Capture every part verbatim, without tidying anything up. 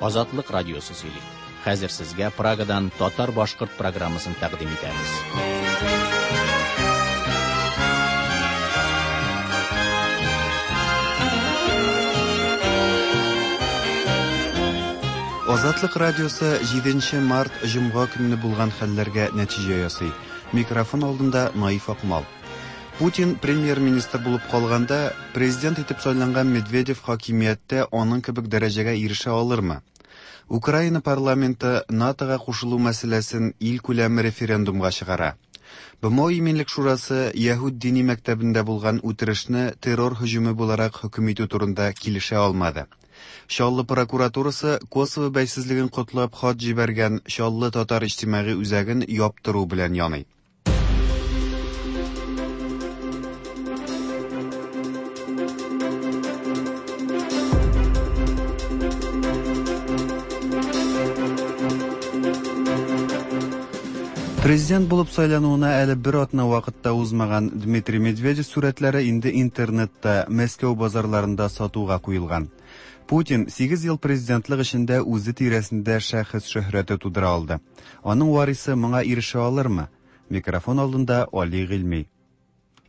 Азатлык радиосы сөйли. Хәзер сезгә Прагадан татар-башкорт программасын тәкъдим итәбез. Азатлык радиосы җиденче март җомга көнне булган хәлләргә нәтиҗә ясый. Микрофон алдында Наиф Акмал. Путин премьер-министр булып калганда, президент итеп сайланган Медведев хакимияттә аның кебек дәрәҗәгә ирешә алырмы? Украина парламенты НАТОга кушылу мәсьәләсен ил күләме референдумга чыгара. БМО Иминлек шурасы Яһүд дини мәктәбендә булган үтерешне террор һөҗүме буларак хөкем итү турында килешә алмады. Чаллы прокуратурасы Косово бәйсезлеген котлап хат җибәргән Чаллы татар иҗтимагый үзәген яптыру белән яный. Президент булып сайлануына әле бер атна вакытта узмаган Дмитрий Медведев сурәтләре инде интернетта, Мәскәү базарларында сатуга куелган. Путин сигез ел президентлык эчендә үзе тирәсендә шәхес шөһрәте тудыра алды. Аның варисы моңа ирешә алырмы? Микрофон алдында Али Гыйльми.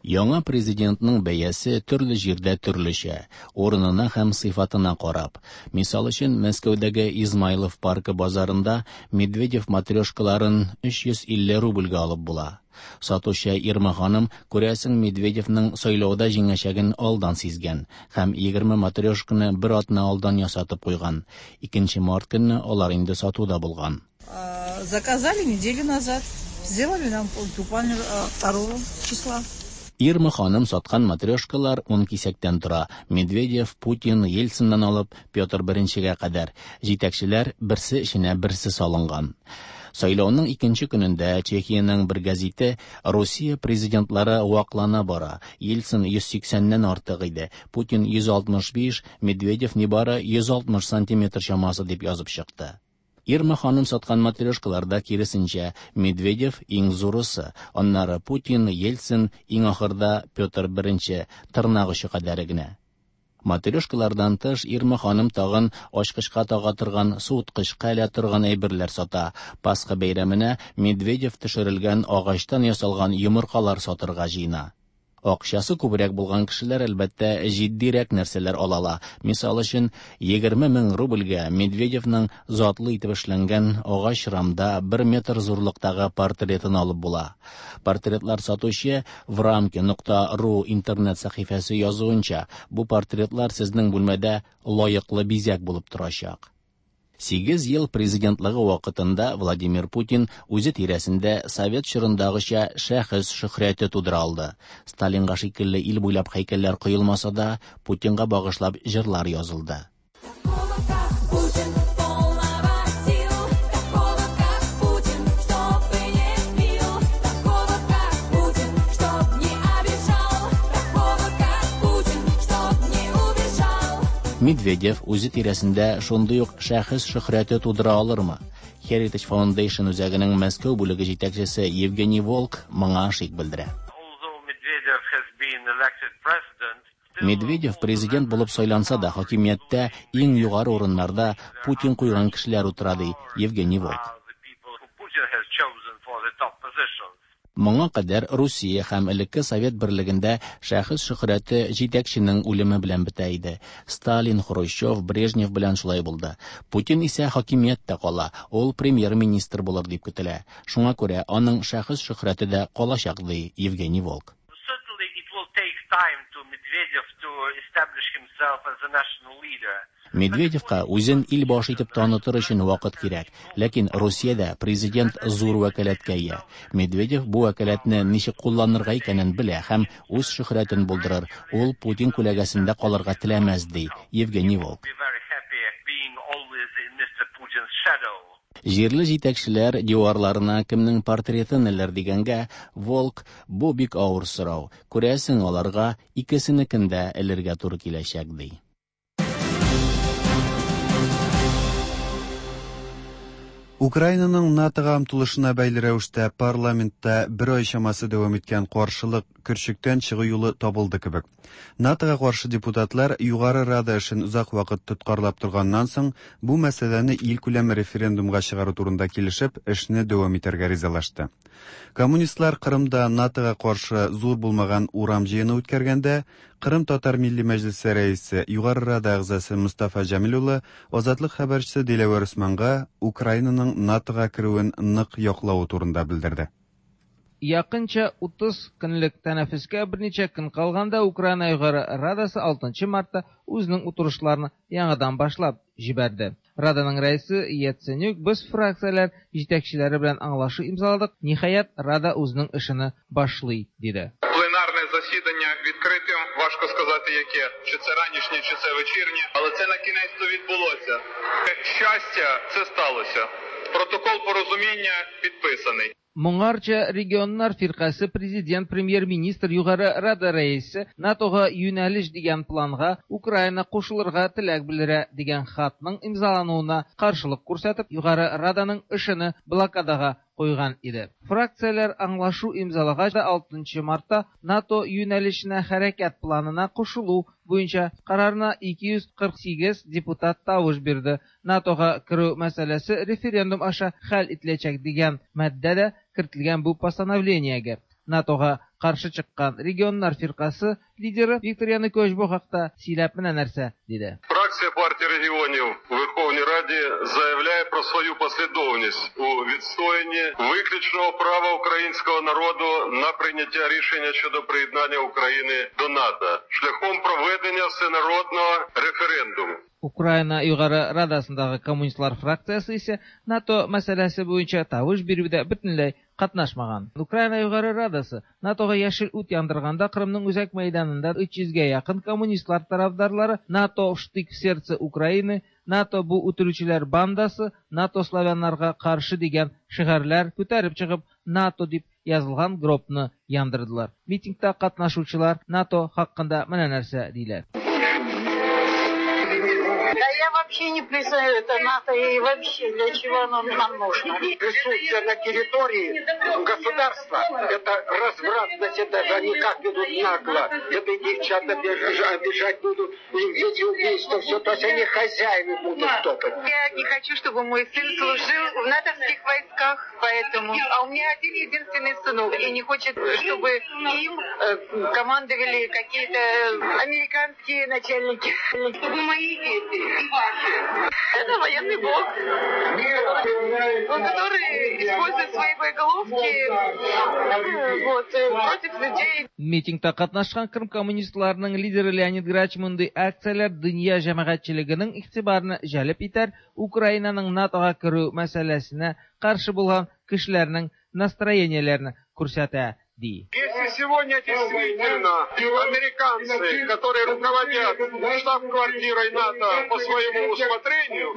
Яңа президентның бәясе төрле җирдә төрлечә, урынына һәм сыйфатына карап. Мисал өчен, Мәскәүдәге Измайлов паркы базарында Медведев матрешкаларын өч йөз илле рубльгә алып була. Сатучы Ирма ханым, күрәсең, Медведевның сайлауда җиңәчәген алдан сизгән һәм егерме матрешканы бер атна алдан ясатып куйган. Икенче март көнне алар инде сатуда булган. Заказали неделю назад, сделали нам буквально второго числа. Ирма ханым саткан матрешкалар ун кисәктән тора. Медведев, Путин, Ельциннан алып Петр Беренчегә кадәр. Җитәкчеләр берсе эченә берсе салынган. Сайлауның икенче көнендә Чехиянең бер гәзите Русия президентлары ваклана бара. Ельцин йөз сиксәннән артык иде, Путин йөз алтмыш биш, Медведев нибары йөз алтмыш сантиметр чамасы дип язып чыкты. Ирма ханым саткан матрешкаларда киресенчә Медведев иң зурысы, аннары Путин, Ельцин, иң ахырда Петр Беренче, тырнак очы кадәре генә. Матрешкалардан тыш Ирма ханым тагын ачкычка тага торган, суыткычка элә торган әйберләр сата. Пасха бәйрәменә Медведев төшерелгән агачтан ясалган йомыркалар сатырга җыена. Акчасы күбрәк булган кешеләр әлбәттә җитдирәк нәрсәләр ала ала. Мисал өчен, егерме мең рубльгә Медведевның затлы итеп эшләнгән агач рамда бер метр зурлыктагы портретын алып була. Портретлар сатучы врамки нокта ру интернет сәхифәсе язуынча, бу портретлар сезнең бүлмәдә лаеклы бизәк булып торачак. Сигез ел президентлыгы вакытында Владимир Путин үзе тирәсендә совет чорындагыча шәхес шөһрәте тудыра алды. Сталинга шикелле ил буйлап һәйкәлләр куелмаса да, Путинга багышлап җырлар язылды. Медведев үзе тирәсендә шундый ук шәхес шөһрәте тудыра алырмы? Heritage Foundation үзәгенең Мәскәү бүлеге җитәкчесе Евгений Волк моңа шик белдерә. Медведев президент булып сайланса да, хакимияттә иң югары урыннарда Путин куйган кешеләр утыра, ди Евгений Волк. Моңа кадәр Русия һәм элекке Совет берлегендә шәхес шөһрәте җитәкченең үлеме белән бетә иде. Сталин, Хрущев, Брежнев белән шулай булды. Путин исә хакимияттә кала, ул премьер-министр булыр дип көтелә. Шуңа күрә аның шәхес шөһрәте дә калачак, ди Евгений Волк. Медведевка үзен ил башы итеп танытыр өчен вакыт кирәк, ләкин Русиядә президент зур вәкаләткә ия. Медведев бу вәкаләтне ничек кулланырга икәнен белә һәм үз шөһрәтен булдырыр. Ул Путин күләгәсендә калырга теләмәс, ди Евгений Волк. Җирле җитәкчеләр диварларына кемнең портретын элер дигәнгә, Волк бу бик авыр сорау. Күрәсең, аларга икесенекен дә элергә туры киләчәк, ди. Украинаның НАТОга омтылышына бәйле рәвештә парламентта бер ай чамасы дәвам иткән каршылык Көрчектән чыгу юлы табылды кебек. НАТОга каршы депутатлар Югары Рада эшен озак вакыт тоткарлап торганнан соң, бу мәсьәләне илкүләм референдумга чыгару турында килешеп, эшне дәвам итәргә ризалашты. Коммунистлар Кырымда НАТОга каршы зур булмаган урам җыены үткәргәндә, Кырым татар милли мәҗлесе рәисе, Югары Рада әгъзасы Мустафа Җәмил улы Азатлык хәбәрчесе Диләвәр Усманга Украинаның НАТОга керүен нык яклавы турында белдерде. Якынча утыз көнлек тәнәфескә берничә көн калганда Украина Югары Радасы алтынчы мартта үзенең утырышларын яңадан башлап җибәрде. Раданың рәисе Яценюк без фракцияләр җитәкчеләре белән аңлашу имзаладык, ниһаять Рада үзенең эшен башлый, диде. Пленарне засідання відкритим, важко сказати яке, чи це ранішнє, чи це вечірнє, але це на кінець-то відбулося. Щастя, це сталося. Протокол порозуміння підписаний. Моңарча регионнар фиркасе президент, премьер-министр, Югары Рада рәисе НАТОга юнәлеш дигән планга Украина кушылырга теләк белдерә дигән хатның имзалануына каршылык күрсәтеп, Югары Раданың эшен блокадага куйган иде. Фракцияләр аңлашу имзалагач да алтынчы мартта НАТО юнәлешенә хәрәкәт планына кушылу буенча карарына ике йөз кырык сигез депутат тавыш бирде. НАТОга керү мәсьәләсе референдум аша хәл ителәчәк дигән маддә дә кертелгән бу постановлениегә. НАТОга каршы чыккан регионнар фиркасы лидеры Виктор Янукович бу хакта сөйләп менә нәрсә диде. Фракція партії регіонів у Верховній Раді заявляє про свою послідовність у відстоянні виключного права українського народу на прийняття рішення щодо приєднання України до НАТО шляхом проведення всенародного референдуму. Украина Югары Радасындагы коммунистлар фракциясе исә НАТО мәсьәләсе буенча тавыш бирүдә бөтенләй катнашмаган. Украина Югары Радасы НАТОга яшел ут яндырганда Кырымның үзәк мәйданында өч йөзгә якын коммунистлар тарафдарлары НАТО штык в сердце Украины, НАТО бу үтерүчеләр бандасы, НАТО славяннарга каршы дигән шигарьләр күтәреп чыгып НАТО дип язылган гробны яндырдылар. Митингта катнашучылар НАТО хакында менә нәрсә диләр. Да я вообще не признаю это НАТО и вообще для чего оно нам нужно. Присутствие на территории государства – это развратность, это даже они как ведут нагло. Это и девчат обижать будут, и дети убийства, все. То есть они хозяева будут топать. Я не хочу, чтобы мой сын служил в натовских войсках, поэтому. А у меня один единственный сынок, и не хочет, чтобы им командовали какие-то американские начальники. Чтобы мои дети и ваши. Это военный блок, который использует свои боеголовки вот, против людей. Митингта катнашкан Крым коммунистларының лидеры Леонид Грач мондый акцияләр дөнья җәмәгатьчелегенең игътибарны җәлеп итәр, Украинаның НАТОга керү мәсьәләсенә каршы булган кешеләрнең настроениеләрен күрсәтә, ди. Если сегодня действительно американцы, которые руководят штаб-квартирой НАТО по своему усмотрению,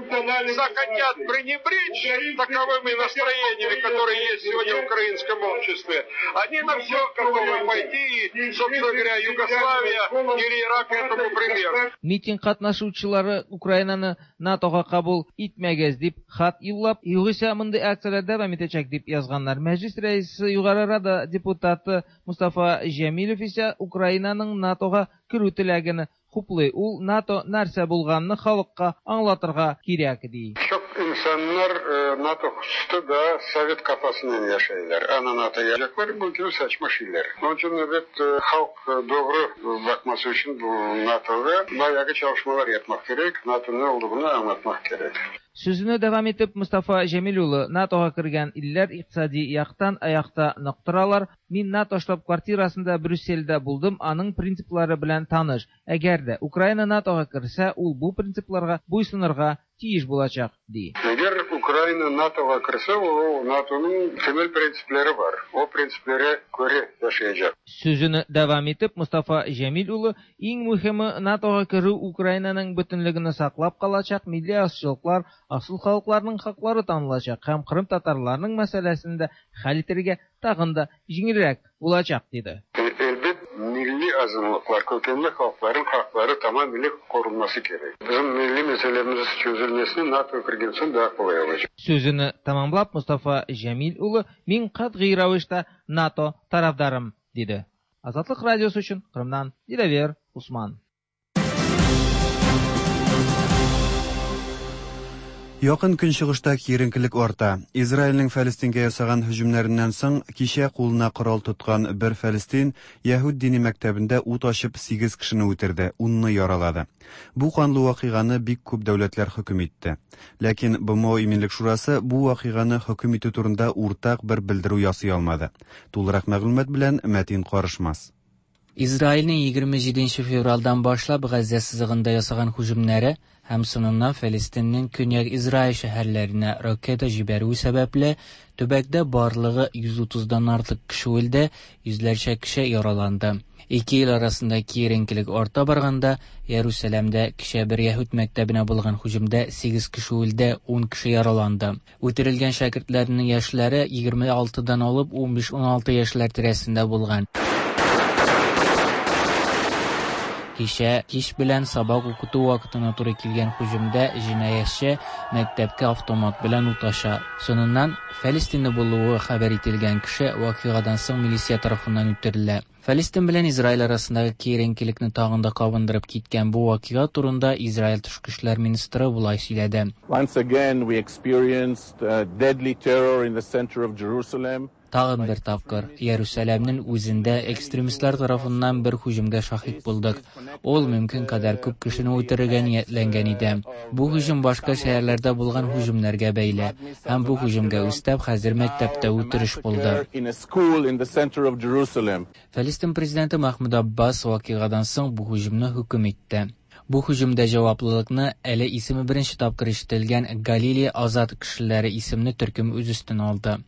захотят пренебречь таковыми настроениями, которые есть сегодня в украинском обществе, они на все готовы пойти, и, собственно говоря, Югославия или Ирак этому пример. Митинг катнашучылары Украинаны НАТОга кабул итмәгез дип хат юллап, югыйсә мондый акцияләр дәвам итәчәк дип язганнар. Мәҗлис рәисе Югары Рада депутаты Мустафа Җәмилев исә Украинаның НАТОга керү теләген хуплый. Ул НАТО нәрсә булганны халыкка аңлатырга кирәк ди. Çok insanlar NATO hususta da Sovet kafasından yaşayırlar. Ana NATO gelecekler, bu gibi saçma şeyler. Onun için evet halk doğru bakması için bu NATO'da bayağı çalışmalar yapmak gerek. NATO'nun ne olduğunu anlatmak gerek. Сүзен дәвам итеп Мустафа Җәмил улы НАТОга кергән илләр икътисади яктан аякта нык торалар. Мин НАТО штаб-квартирасында Брюссельдә булдым, аның принциплары белән таныш. Әгәр дә Украина НАТОга керсә, ул бу принципларга буйсынырга тиеш булачак, ди. Әгәр Украина НАТОга керсә, ул НАТОның темел принциплары бар. О принципларга күрә яшәячәк. Сүзен дәвам итеп Мустафа Җәмил улы иң мөһиме НАТОга керү Украинаның бөтенлеген саклап калачак, милли азчылыклар, асыл халыкларның хаклары танылачак һәм Кырым татарларының мәсьәләсен дә хәл итәргә тагын да җиңелрәк булачак, диде. Elbet milli azınlıklar, kökenli halkların hakları tamamıyla korunması gerek. Bizim milli meselemiz çözülmesini NATO kirgen soң daha kolay olacak. Сүзен tamamlап Мустафа Җәмил улы мин катгый рәвештә НАТО тарафдарым, диде. Азатлык радиосы өчен Кырымнан Диләвер Усман. Якын көнчыгышта киеренкелек арта. Израильнең Фәлестингә ясаган һөҗүмнәреннән соң кичә кулына корал тоткан бер фәлестин яһүд дини мәктәбендә ут ачып сигез кешене үтерде, унны яралады. Бу канлы вакыйганы бик күп дәүләтләр хөкем итте. Ләкин Б М О Иминлек шурасы бу вакыйганы хөкем итү турында уртак бер белдерү ясый алмады. Тулырак мәгълүмат белән Мәтин Карышмас. Израильнең егерме җиденче февральдан башлап Газзә сызыгында ясаган һөҗүмнәре һәм соңыннан Фәлестиннең көньяк Израиль шәһәрләренә ракета җибәрүе сәбәпле төбәктә барлыгы йөз утыздан артык кеше үлде, йөзләрчә кеше яраланды. Ике ил арасында киеренкелек арта барганда, Иерусалимдә кичә бер яһүд мәктәбенә булган һөҗүмдә сигез кеше үлде, ун кеше яраланды. Үтерелгән шәкертләрнең яшьләре егерме алтыдан алып ун биш-ун алты яшьләр тирәсендә булган. Кичә кич белән сабак укыту вакытына туры килгән һөҗүмдә җинаятьче мәктәпкә автомат белән ут ача. Соңыннан Фәлестинле булуы хәбәр ителгән кеше вакыйгадан соң милиция тарафыннан үтерелә. Фәлестин белән Израиль арасындагы киеренкелекне тагын да кабындырып киткән бу вакыйга турында Израиль тышкы эшләр министры болай сөйләде. Once again we experienced, uh, deadly terror in the center of Jerusalem. Тагын бер тапкыр Иерусалимнең үзендә экстремистлар тарафыннан бер һөҗүмгә шаһит булдык. Ул мөмкин кадәр күп кешене үтерергә ниятләнгән иде. Бу һөҗүм башка шәһәрләрдә булган һөҗүмнәргә бәйле. Һәм бу һөҗүмгә өстәп хәзер мәктәптә үтереш булды. In a school in the center of Jerusalem. Фәлестин президенты Махмуд Аббас вакыйгадан соң бу һөҗүмне хөкем итте. Бу һөҗүмдә җаваплылыкны әле исеме беренче тапкыр ишетелгән Галилея азат кешеләре исемле төркем үз өстенә алды.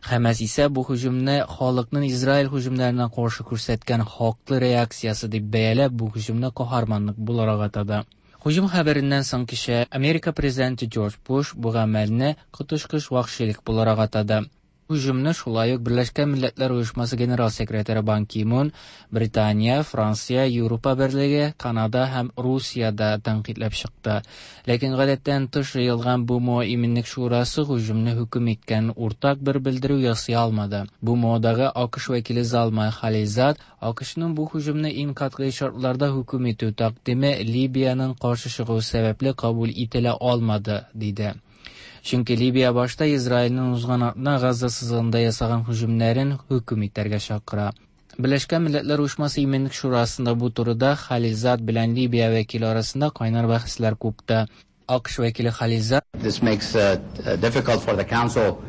Хәмәс исә бу һөҗүмне халыкның Израиль һөҗүмнәренә каршы күрсәткән хаклы реакциясе дип бәяләп, бу һөҗүмне каһарманлык буларак атады. Һөҗүм хәбәреннән соң кичә Америка президенты Джордж Буш бу гамәлне коточкыч вәхшилек буларак атады. Һөҗүмне шулай ук Берләшкән Милләтләр Оешмасы генерал секретаре Бан Ки Мун, Британия, Франция, Европа Берлеге, Канада һәм Русия да тәнкыйтьләп чыкты. Ләкин гадәттән тыш җыелган Б М О Иминлек шурасы һөҗүмне хөкем иткән уртак бер белдерү ясый алмады. Б М Одагы А К Ш вәкиле Залмай Халилзад А К Шның бу һөҗүмне иң катгый шартларда хөкем итү тәкъдиме Либияның каршы чыгуы сәбәпле кабул ителә алмады, диде. Чөнки Либия башта Израильнең узган атна Газа сызыгында ясаган һөҗүмнәрен хөкем итәргә чакыра. Берләшкән Милләтләр Оешмасы Иминлек шурасында бу турыда Халилзад белән Либия вәкиле арасында кайнар бәхәсләр купты. А К Ш вәкиле Халилзад This makes it difficult for the council,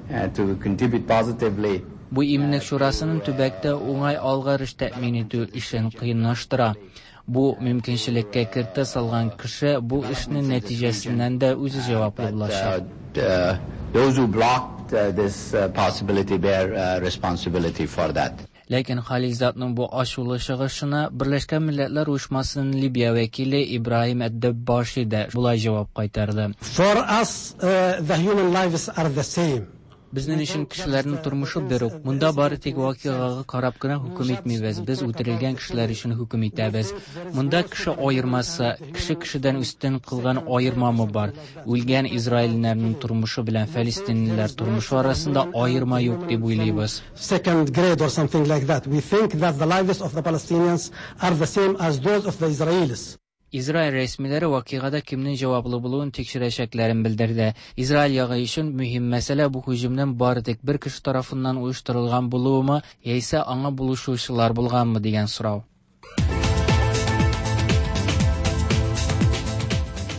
uh, to contribute positively. Бу Иминлек шурасының төбәктә уңай алгарыш тәэмин итү эшен кыенлаштыра. Бу мөмкинчелеккә кертә салган кеше бу эшнең нәтиҗәсеннән дә үзе җаваплы булачак. Uh, those who blocked, uh, this, uh, possibility bear, uh, responsibility for that. Ләкин Халилзадның бу ачулы чыгышына Берләшкән Милләтләр Оешмасының Либия вәкиле Ибраһим Әд-Дәббаши да болай җавап кайтарды. For us, uh, the human lives are the same. Безнең өчен кешеләрнең тормышы бер үк. Монда бары тик вакыйгага карап кына хөкем итмибез. Без үтерелгән кешеләр өчен хөкем итәбез. Монда кеше аермасы, кеше кешедән өстен кылган аермамы бар? Үлгән израильләрнең тормышы белән фәлестинлеләр тормышы арасында аерма юк дип уйлыйбыз. Second grade or something like that. We think that the lives of the Palestinians are the same as those of the Israelis. Израиль рәсмиләре вакыйгада кемнең җаваплы булуын тикшерәчәкләрен белдерде. Израиль ягы өчен мөһим мәсьәлә бу һөҗүмнең бары тик бер кеше тарафыннан оештырылган булуымы, яисә аңа булышучылар булганмы дигән сорау.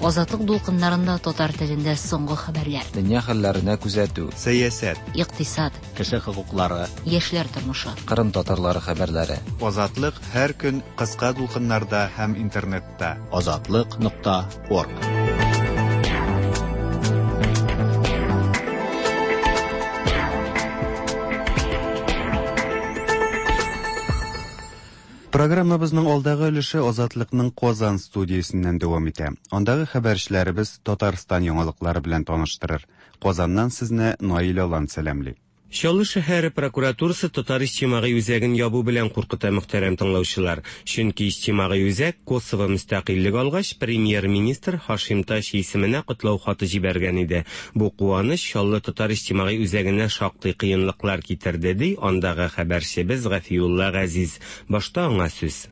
Азатлык дулкыннарында татар телендә соңгы хәбәрләр. Дөнья хәлләренә күзәтү. Сәясәт. Икътисад. Кеше хокуклары. Яшьләр тормышы. Кырым татарлары хәбәрләре. Азатлык һәр көн кыска дулкыннарда һәм интернетта. Азатлык нокта орг. Программабызның алдагы өлеше Азатлыкның Казан студиясеннән дәвам итә. Андагы хәбәрчеләребез Татарстан яңалыклары белән таныштырыр. Казаннан сезне Наил Алан сәламли. Чаллы шәһәре прокуратурасы татар иҗтимагый үзәген ябу белән куркыта, мөхтәрәм тыңлаучылар. Чөнки иҗтимагый үзәк Косово мөстәкыйльлек алгач, премьер-министр Һашим Тачи исеменә котлау хаты җибәргән иде. Бу куаныч Чаллы татар иҗтимагый үзәгенә шактый кыенлыклар китерде, ди андагы хәбәрчебез Гафиулла Газиз. Башта аңа сүз.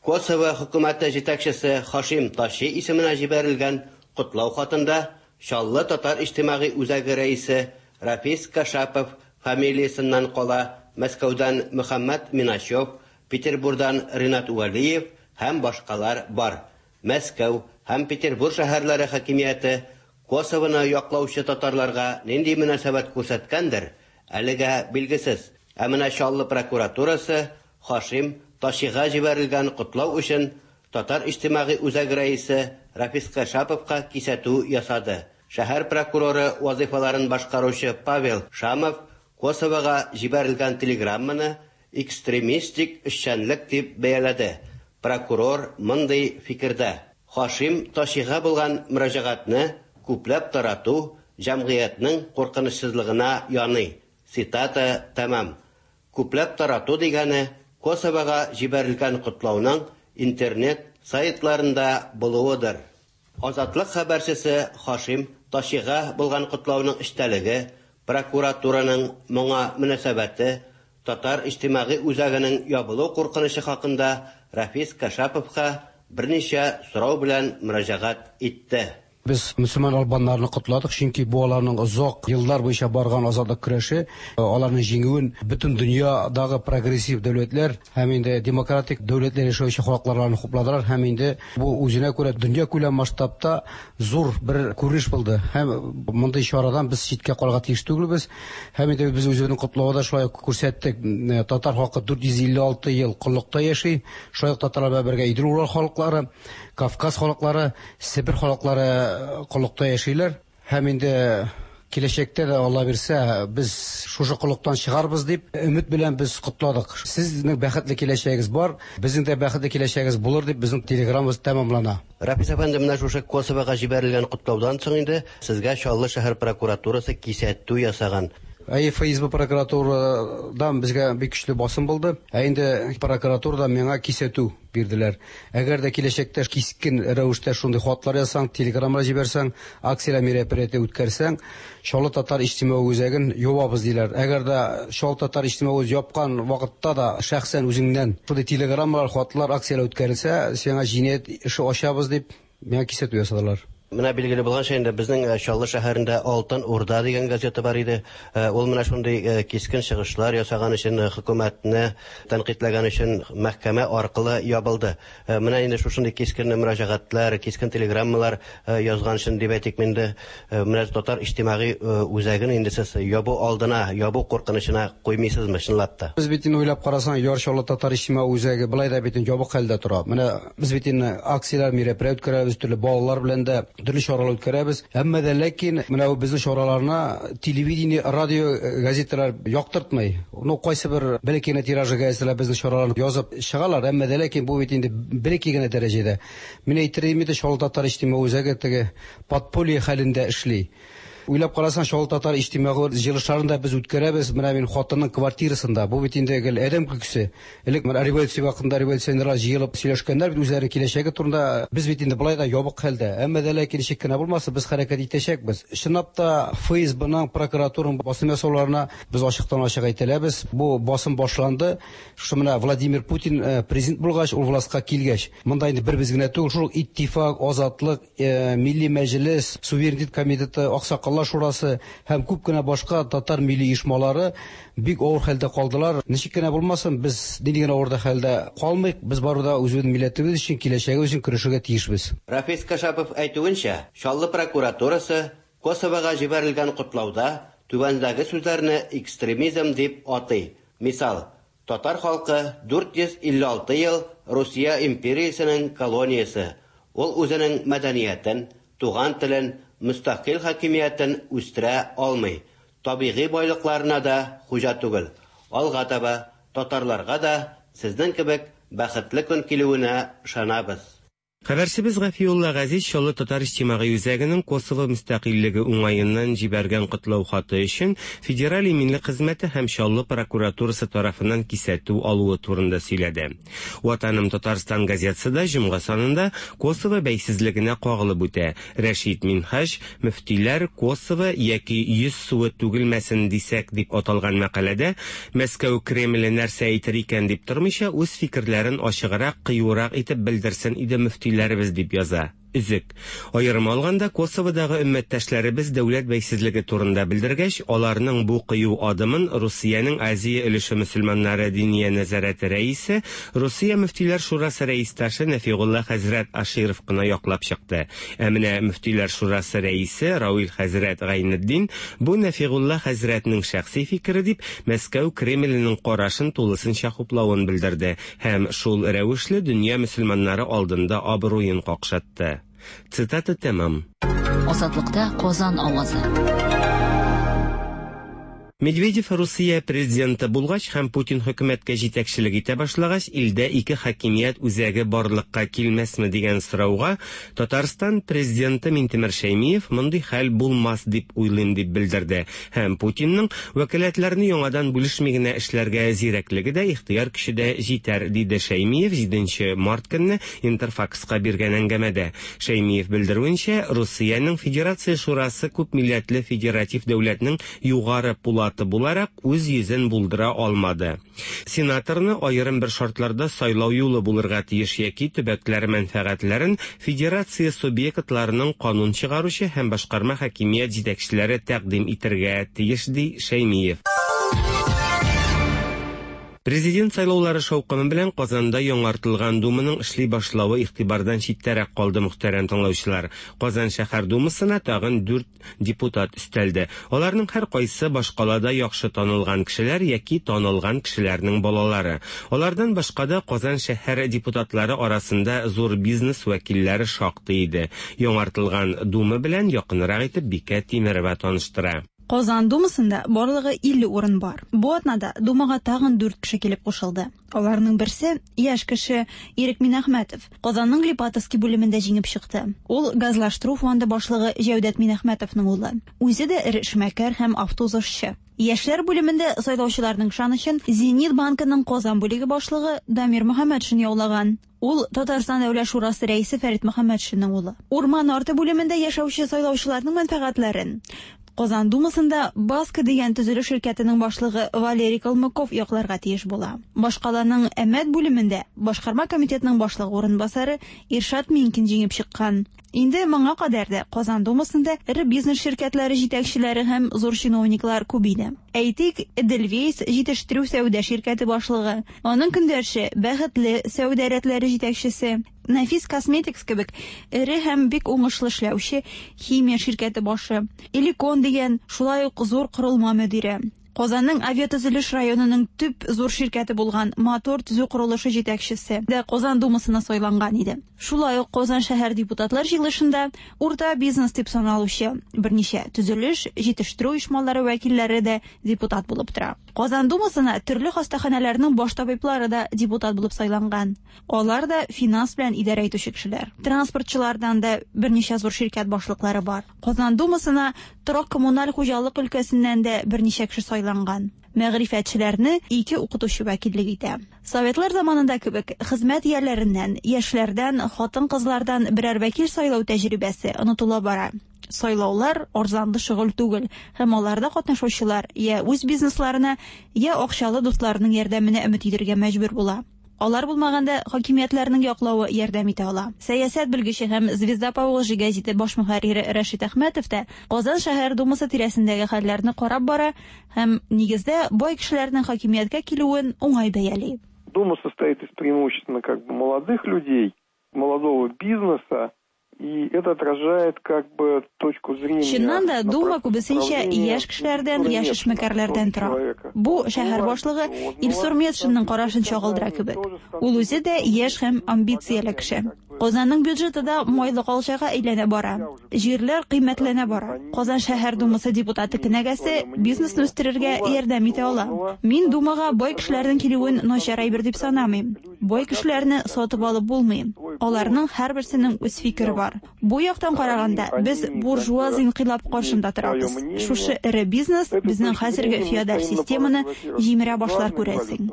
Косово хөкүмәте җитәкчесе Һашим Тачи исеменә җибәрелгән котлау хатында Чаллы татар иҗтимагый үзәге рәисе Рафис Кашапов фамилиясеннән кала Мәскәүдән Мөхәммәд Миначев, Петербурдан Ринат Вәлиев һәм башкалар бар. Мәскәү һәм Петербур шәһәрләре хакимияте Косовоны яклаучы татарларга нинди мөнәсәбәт күрсәткәндер, әлегә билгесез. Ә менә Чаллы прокуратурасы Һашим Тачига җибәрелгән котлау өчен татар иҗтимагый үзәге рәисе Рафис Кашаповка кисәтү ясады. Шәһәр прокуроры вазифаларын башкаручы Павел Шамов Косовога җибәрелгән телеграмманы экстремистик эшчәнлек дип бәяләде. Прокурор мондый фикердә: Һашим Тачига булган мөрәҗәгатьне күпләп тарату җәмгыятьнең куркынычсызлыгына яный. Цитата тәмам. Күпләп тарату дигәне Косовога җибәрелгән котлауның интернет сайтларында булуыдыр. Азатлык хәбәрчесе Һашим Тачига булган котлауның эчтәлеге, прокуратураның моңа мөнәсәбәте, татар иҗтимагый үзәгенең ябылу куркынычы хакында Рафис Кашаповка берничә сорау белән мөрәҗәгать итте. Без мөселман албаннарны котладык, чөнки бу аларның озак еллар буенча барган азатлык көрәше, аларның җиңүен бөтен дөньядагы прогрессив дәүләтләр һәм инде демократик дәүләтләр яшәүче халыкларны хупладылар һәм инде бу үзенә күрә дөнья күләм масштабта зур бер күренеш булды. Һәм мондый чарадан без читкә калырга тиеш түгелбез. Һәм инде без үзебезнең котлауда шулай ук күрсәттек. Татар халкы дүрт йөз илле алты ел коллыкта яши. Шулай ук татарлар белән бергә Идел-Урал халыклары, Кавказ халыклары, Себер халыклары коллыкта яшиләр. Һәм инде киләчәктә дә Алла бирсә, без шушы коллыктан чыгарбыз дип өмет белән без котладык. Сезнең бәхетле киләчәгегез бар, безнең дә бәхетле киләчәгегез булыр дип безнең телеграммабыз тәмамлана. Рафис әфәнде, менә шушы Косовога җибәрелгән котлаудан соң инде сезгә Чаллы шәһәр прокуратурасы кисәтү ясаган. Әй, Эф Эс Бэ прокуратурадан безгә бик көчле басым булды. Ә инде прокуратурада миңа кисәтү бирделәр. Әгәр дә киләчәктә кискен рәвештә шундый хатлар язсаң, телеграммалар җибәрсәң, акцияләр мероприятие үткәрсәң, Чаллы татар иҗтимагый үзәген ябабыз диләр. Әгәр дә Чаллы татар иҗтимагый үзәген япкан вакытта да шәхсән үзеңнән шундый телеграммалар, хатлар, акцияләр үткәрелсә, сиңа җинаять эше ачабыз дип миңа кисәтү ясадылар. Менә билгеле булганча инде безнең Чаллы шәһәрендә Алтын Урда дигән газета бар иде. Ул менә шундый кискен чыгышлар ясаган өчен, хөкүмәтне тәнкыйтьләгән өчен мәхкәмә аркылы ябылды. Менә инде шушындый кискен мөрәҗәгатьләр, кискен телеграммалар язган өчен дип әйтик инде, менә татар иҗтимагый үзәген инде сез ябу алдына, ябу куркынычына куймыйсызмы чынлап та? Без бит инде уйлап карасаң, Яр Чаллы татар иҗтимагый үзәге былай да бит инде ябык хәлдә тора. Менә без бит инде акцияләр, мероприятие үткәрәбез, төрле балалар белән дә төрле чаралар үткәрәбез. Әмма дә ләкин менә бу безнең чараларны телевидение, радио, газеталар яктыртмый. Ну, кайсы бер бәләкәй генә тиражы газеталар безнең чараларны язып чыгалар, әмма дә ләкин бу бит инде бәләкәй генә дәрәҗәдә. Мин әйтер идем инде, Чаллы татар иҗтимагый үзәге теге подполье хәлендә эшли. Уйлап карасаң, Чаллы татар иҗтимагый җыелышларын да без үткәрәбез. Менә мин хатынның квартирасында. Бу бит инде гел адәм көлкесе. Элек менә революция вакытында революционерлар җыелып сөйләшкәннәр бит үзләренең киләчәге турында. Без бит инде былай да ябык хәлдә. Әмма дә ләкин ничек кенә булмасын, без хәрәкәт итәчәкбез. Чынлап та Эф Эс Бның, прокуратураның басым ясауларына без ачыктан-ачык әйтәләбез. Бу басым башланды. Шушы менә Владимир Путин президент булгач, ул властька килгәч, монда инде бер без генә түгел, шул Иттифак, Азатлык, Милли Мәҗлес, Суверенитет комитеты, Аксакаллар шурасы һәм күп кенә башка татар милли оешмалары бик авыр хәлдә калдылар. Ничек кенә булмасын, без нинди генә авыр хәлдә калмыйк, без барыбер да үзебезнең милләтебез өчен, киләчәгебез өчен көрәшергә тиешбез. Рафис Кашапов әйтүенчә, Чаллы прокуратурасы Косовога җибәрелгән котлауда түбәндәге сүзләрне экстремизм дип атый. Мисал, татар халкы дүрт йөз илле алты ел Русия империясенең колониясе. Ул үзенең мәдәниятен, туган телен, мөстәкыйль хакимиятен үстерә алмый. Табигый байлыкларына да хуҗа түгел. Алга таба татарларга да сезнең кебек бәхетле көн килүенә ышанабыз. Хәбәрчебез Гафиулла Газиз Чаллы татар иҗтимагый үзәгенең Косово мөстәкыйльлеге уңаеннан җибәргән котлау хаты өчен Федераль иминлек хезмәте һәм Чаллы прокуратурасы тарафыннан кисәтү алуы турында сөйләде. Ватаным Татарстан газетасы да җомга санында Косово бәйсезлегенә кагылып үтә. Рәшит Минһаҗ мөфтиләр Косово яки йөз суы түгелмәсен дисәк дип аталган мәкаләдә Мәскәү Кремле нәрсә әйтер икән дип тормыйча үз фикерләрен ачыграк, кыюрак итеп белдерсен иде мөфти дип яза. Өзек. Аерым алганда Косоводагы өммәттәшләребез дәүләт бәйсезлеге турында белдергәч, аларның бу кыю адымын Русиянең Азия өлеше мөселманнары диния нәзарәте рәисе, Русия мөфтиләр шурасы рәистәше Нәфигулла хәзрәт Аширов кына яклап чыкты. Ә менә мөфтиләр шурасы рәисе Равил хәзрәт Гайнетдин бу Нәфигулла хәзрәтнең шәхси фикере дип Мәскәү Кремленең карашын тулысынча хуплавын белдерде һәм шул рәвешле дөнья мөселманнары алдында абруен какшатты. Цитата тәмам. Азатлыкта Казан авазы. Медведев Русия президенты булгач һәм Путин хөкүмәткә җитәкчелек итә башлагач, илдә ике хакимият үзәге барлыкка килмәсме дигән сорауга Татарстан президенты Минтимер Шәймиев мондый хәл булмас дип уйлыйм дип белдерде. Һәм Путинның вәкаләтләрне яңадан бүлешми генә эшләргә зирәклеге дә, ихтыяр көче дә җитәр, диде Шәймиев җиденче март көнне Интерфакска биргән әңгәмәдә. Шәймиев белдерүенчә, Русиянең Федерация Шурасы күп милләтле федератив дәүләтнең югары пулаты буларак үз йөзен булдыра алмады. Сенаторны аерым бер шартларда сайлау юлы булырга тиеш яки төбәкләр мәнфәгатьләрен федерация субъектларының канун чыгаручы һәм башкарма хакимият җитәкчеләре тәкъдим итәргә тиеш, ди Шәймиев. Президент сайлаулары шаукымы белән Казанда яңартылган Думаның эшли башлавы игътибардан читтәрәк калды, мөхтәрәм тыңлаучылар. Казан шәһәр Думасына тагын дүрт депутат өстәлде. Аларның һәр кайсы башкалада яхшы танылган кешеләр яки танылган кешеләрнең балалары. Алардан башка да Казан шәһәр депутатлары арасында зур бизнес вәкилләре шактый иде. Яңартылган Дума белән якынрак итеп Бикә Тимерова таныштыра. Казан Думасында барлыгы илле урын бар. Бу атнада Думага тагын дүрт кеше килеп кушылды. Аларның берсе яшь кеше Ирек Минәхмәтов. Казанның Липатовский бүлемендә җиңеп чыкты. Ул газлаштыру фонды башлыгы Җәүдәт Минәхмәтовның улы. Үзе дә эре эшмәкәр һәм автоузышчы. Яшьләр бүлемендә сайлаучыларның ышанычын Зенит банкының Казан бүлеге башлыгы Дамир Мөхәммәтшин яулаган. Ул Татарстан Дәүләт Шурасы рәисе Фәрит Мөхәммәтшинның улы. Урман арты бүлемендә яшәүче сайлаучыларның мәнфәгатьләрен Казан Думасында Баска дигән төзелеш ширкәтенең башлыгы Валерий Калмыков якларга тиеш була. Башкаланың Әмәт бүлемендә башкарма комитетның башлыгы урынбасары Иршат Минкин җиңеп чыккан. Инде моңа кадәр дә Казан Думасында эре бизнес ширкәтләре җитәкчеләре һәм зур чиновниклар күп иде. Әйтик, Эдельвейс җитештерү сәүдә ширкәте башлыгы, аның көндәше Бәхетле сәүдә рәтләре җитәкчесе, Нәфис Косметикс кебек эре һәм бик уңышлы эшләүче химия ширкәте башы, Эликон дигән шулай ук зур корылма мөдире, Казанның авиатөзелеш районының төп зур ширкәте булган Мотор төзү корылышы җитәкчесе дә Казан Думасына сайланган иде. Шулай ук Казан шәһәр депутатлар җыелышында урта бизнес дип саналучы берничә төзелеш, җитештерү оешмалары вәкилләре дә депутат булып тора. Казан Думасына төрле хастаханәләрнең баш табиблары да депутат булып сайланган. Алар да финанс белән идарә итүче кешеләр. Транспортчылардан да берничә зур ширкәт башлыклары бар. Казан Думасына торак коммуналь хуҗалык өлкәсеннән дә берничә кеше сайланган. Мәгърифәтчеләрне ике укытучы вәкиллек итә. Советлар заманында кебек хезмәт ияләреннән, яшьләрдән, хатын-кызлардан берәр вәкил сайлау тәҗрибәсе онытыла бара. Сайлаулар арзанлы шөгыль түгел, һәм аларда катнашучылар я үз бизнесларына, я акчалы дусларының ярдәменә өмет итәргә мәҗбүр була. Алар булмаганда хакимиятләрнең яклавы ярдәм итә ала. Сәясәт белгече һәм Звезда Поволжья гәзите баш мөхәррире Рәшит Әхмәтов та Казан шәһәр Думасы тирәсендәге хәлләрне карап бара һәм нигездә бай кешеләрнең хакимияткә килүен уңай бәяли. Дума состоит из преимущественно как бы молодых людей, молодого бизнеса, и это отражает как бы точку зрения. Чыннан да Дума күбесенчә яшь кешеләрдән, яшь эшмәкәрләрдән тора. Бу шәһәр башлыгы Илсур Метшинның карашын чагылдыра кебек. Ул үзе дә яшь һәм амбицияле кеше. Казанның бюджеты да майлы калчага әйләнә бара. Җирләр кыйммәтләнә бара. Казан шәһәр думасы депутаты кенәгәсе бизнесны үстерергә ярдәм итә ала. Мин думага бай кешеләрнең килүен начар әйбер дип санамыйм. Бай кешеләрне сатып алып булмый. Аларның һәрберсенең үз фикере бар. Бу яктан караганда без буржуаз инкыйлаб каршында торабыз. Шушы эре бизнес безнең хәзерге феодаль системаны җимерә башлар күрәсең.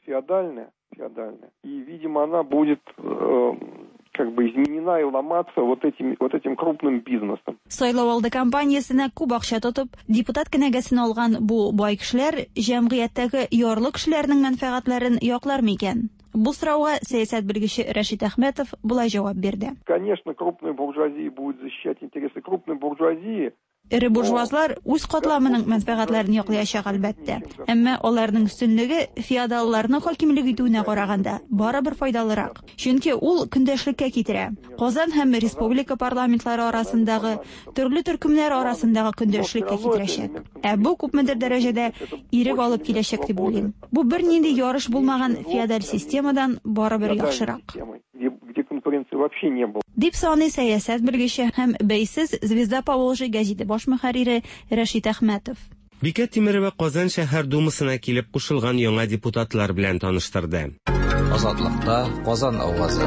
Феодальная, феодальная. И, видимо, она будет э, как бы изменена и ломаться вот этим, вот этим крупным бизнесом. Сайлау алды кампаниясенә күп акча тотып, депутат кенәгәсен алган бу бай кешеләр җәмгыятьтәге ярлы кешеләрнең мәнфәгатьләрен яклар микән? Бу сорауга сәясәт белгече Рәшит Әхмәтов болай җавап бирде. Конечно, крупная буржуазия будет защищать интересы крупной буржуазии. Эре буржуазлар үз катламының мәнфәгатьләрен яклаячак әлбәттә. Әмма аларның өстенлеге феодалларның хакимлек итүенә караганда барыбер файдалырак. Чөнки ул көндәшлеккә китерә. Казан һәм республика парламентлары арасындагы төрле төркемнәр арасындагы көндәшлеккә китерәчәк. Ә бу күпмедер дәрәҗәдә ирек алып киләчәк дип уйлыйм. Бу бернинди ярыш булмаган феодаль системадан барыбер яхшырак. Где конкуренции вообще не было. Дип саный сәясәт белгече һәм бәйсез Звезда Поволжья гәзите баш мөхәррире Рәшит Әхмәтов. Бикә Тимерова Казан шәһәр думасына килеп кушылган яңа депутатлар белән таныштырды. Азатлыкта Казан авазы.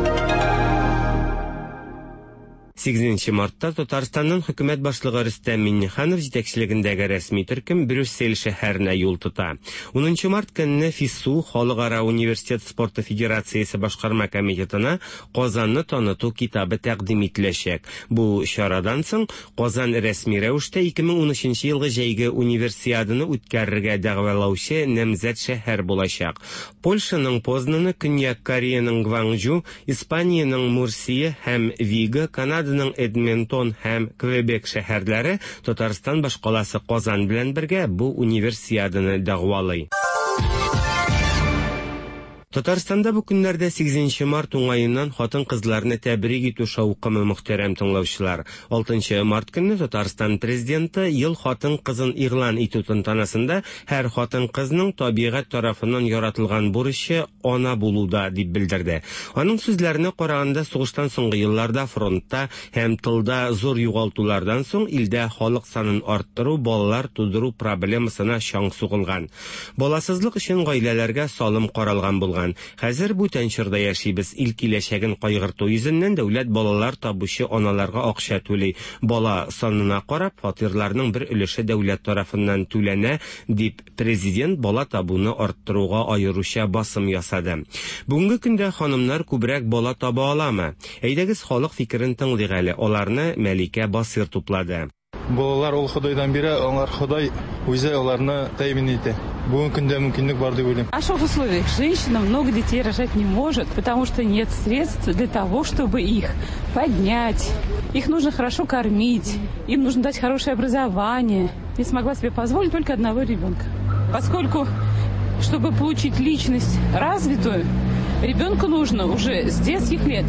Сигезенче мартта Татарстанның хөкүмәт башлыгы Рөстәм Миңнеханов җитәкчелегендәге рәсми төркем Брюссель шәһәренә юл тота. Унынчы март көнне ФИСУ Халыкара университет спорты федерациясе башкарма комитетына Казанны таныту китабы тәкъдим ителәчәк. Бу чарадан соң Казан рәсми рәвештә ике мең унөченче елгы җәйге универсиаданы үткәрергә дәгъвалаучы намзәт шәһәр булачак. Польшаның Познаны, Көньяк Кореяның Гванчжу, Испаниянең Мурсия һәм Вига, Канада Эдмонтон һәм Квебек шәһәрләре Татарстан башкаласы Казан белән бергә бу универсиаданы дәгъвалый. Татарстанда бу көннәрдә сигезенче март уңаеннан хатын-кызларны тәбрик итү шаукымы, мөхтәрәм тыңлаучылар. Алтынчы март көнне Татарстан президенты ел хатын-кызын игълан итү тантанасында һәр хатын-кызның табигать тарафыннан яратылган бурычы ана булуда дип белдерде. Аның сүзләренә караганда, сугыштан соңгы елларда фронтта һәм тылда зур югалтулардан соң илдә халык санын арттыру, балалар тудыру проблемасына чаң сугылган. Баласызлык өчен гаиләләргә салым каралган булган. Хәзер бүтән чорда яшибез. Ил киләчәген кайгырту йөзеннән дәүләт балалар табучы аналарга акча түли. Бала санына карап, фатирларның бер өлеше дәүләт тарафыннан түләнә, дип президент бала табуны арттыруга аеруча басым ясады. Бүгенге көндә ханымнар күбрәк бала таба аламы? Әйдәгез халык фикерен тыңлыйк әле. Аларны Мәликә Басир туплады. Балалар ул Ходайдан бирә, алар Ходай үзе аларны тәэмин итә. Бүгенге көндә мөмкинлек бар дип уйлыйм. В наших условиях женщина много детей рожать не может, потому что нет средств для того, чтобы их поднять. Их нужно хорошо кормить, им нужно дать хорошее образование. Не смогла себе позволить только одного ребенка. Поскольку, чтобы получить личность развитую, ребенку нужно уже с детских лет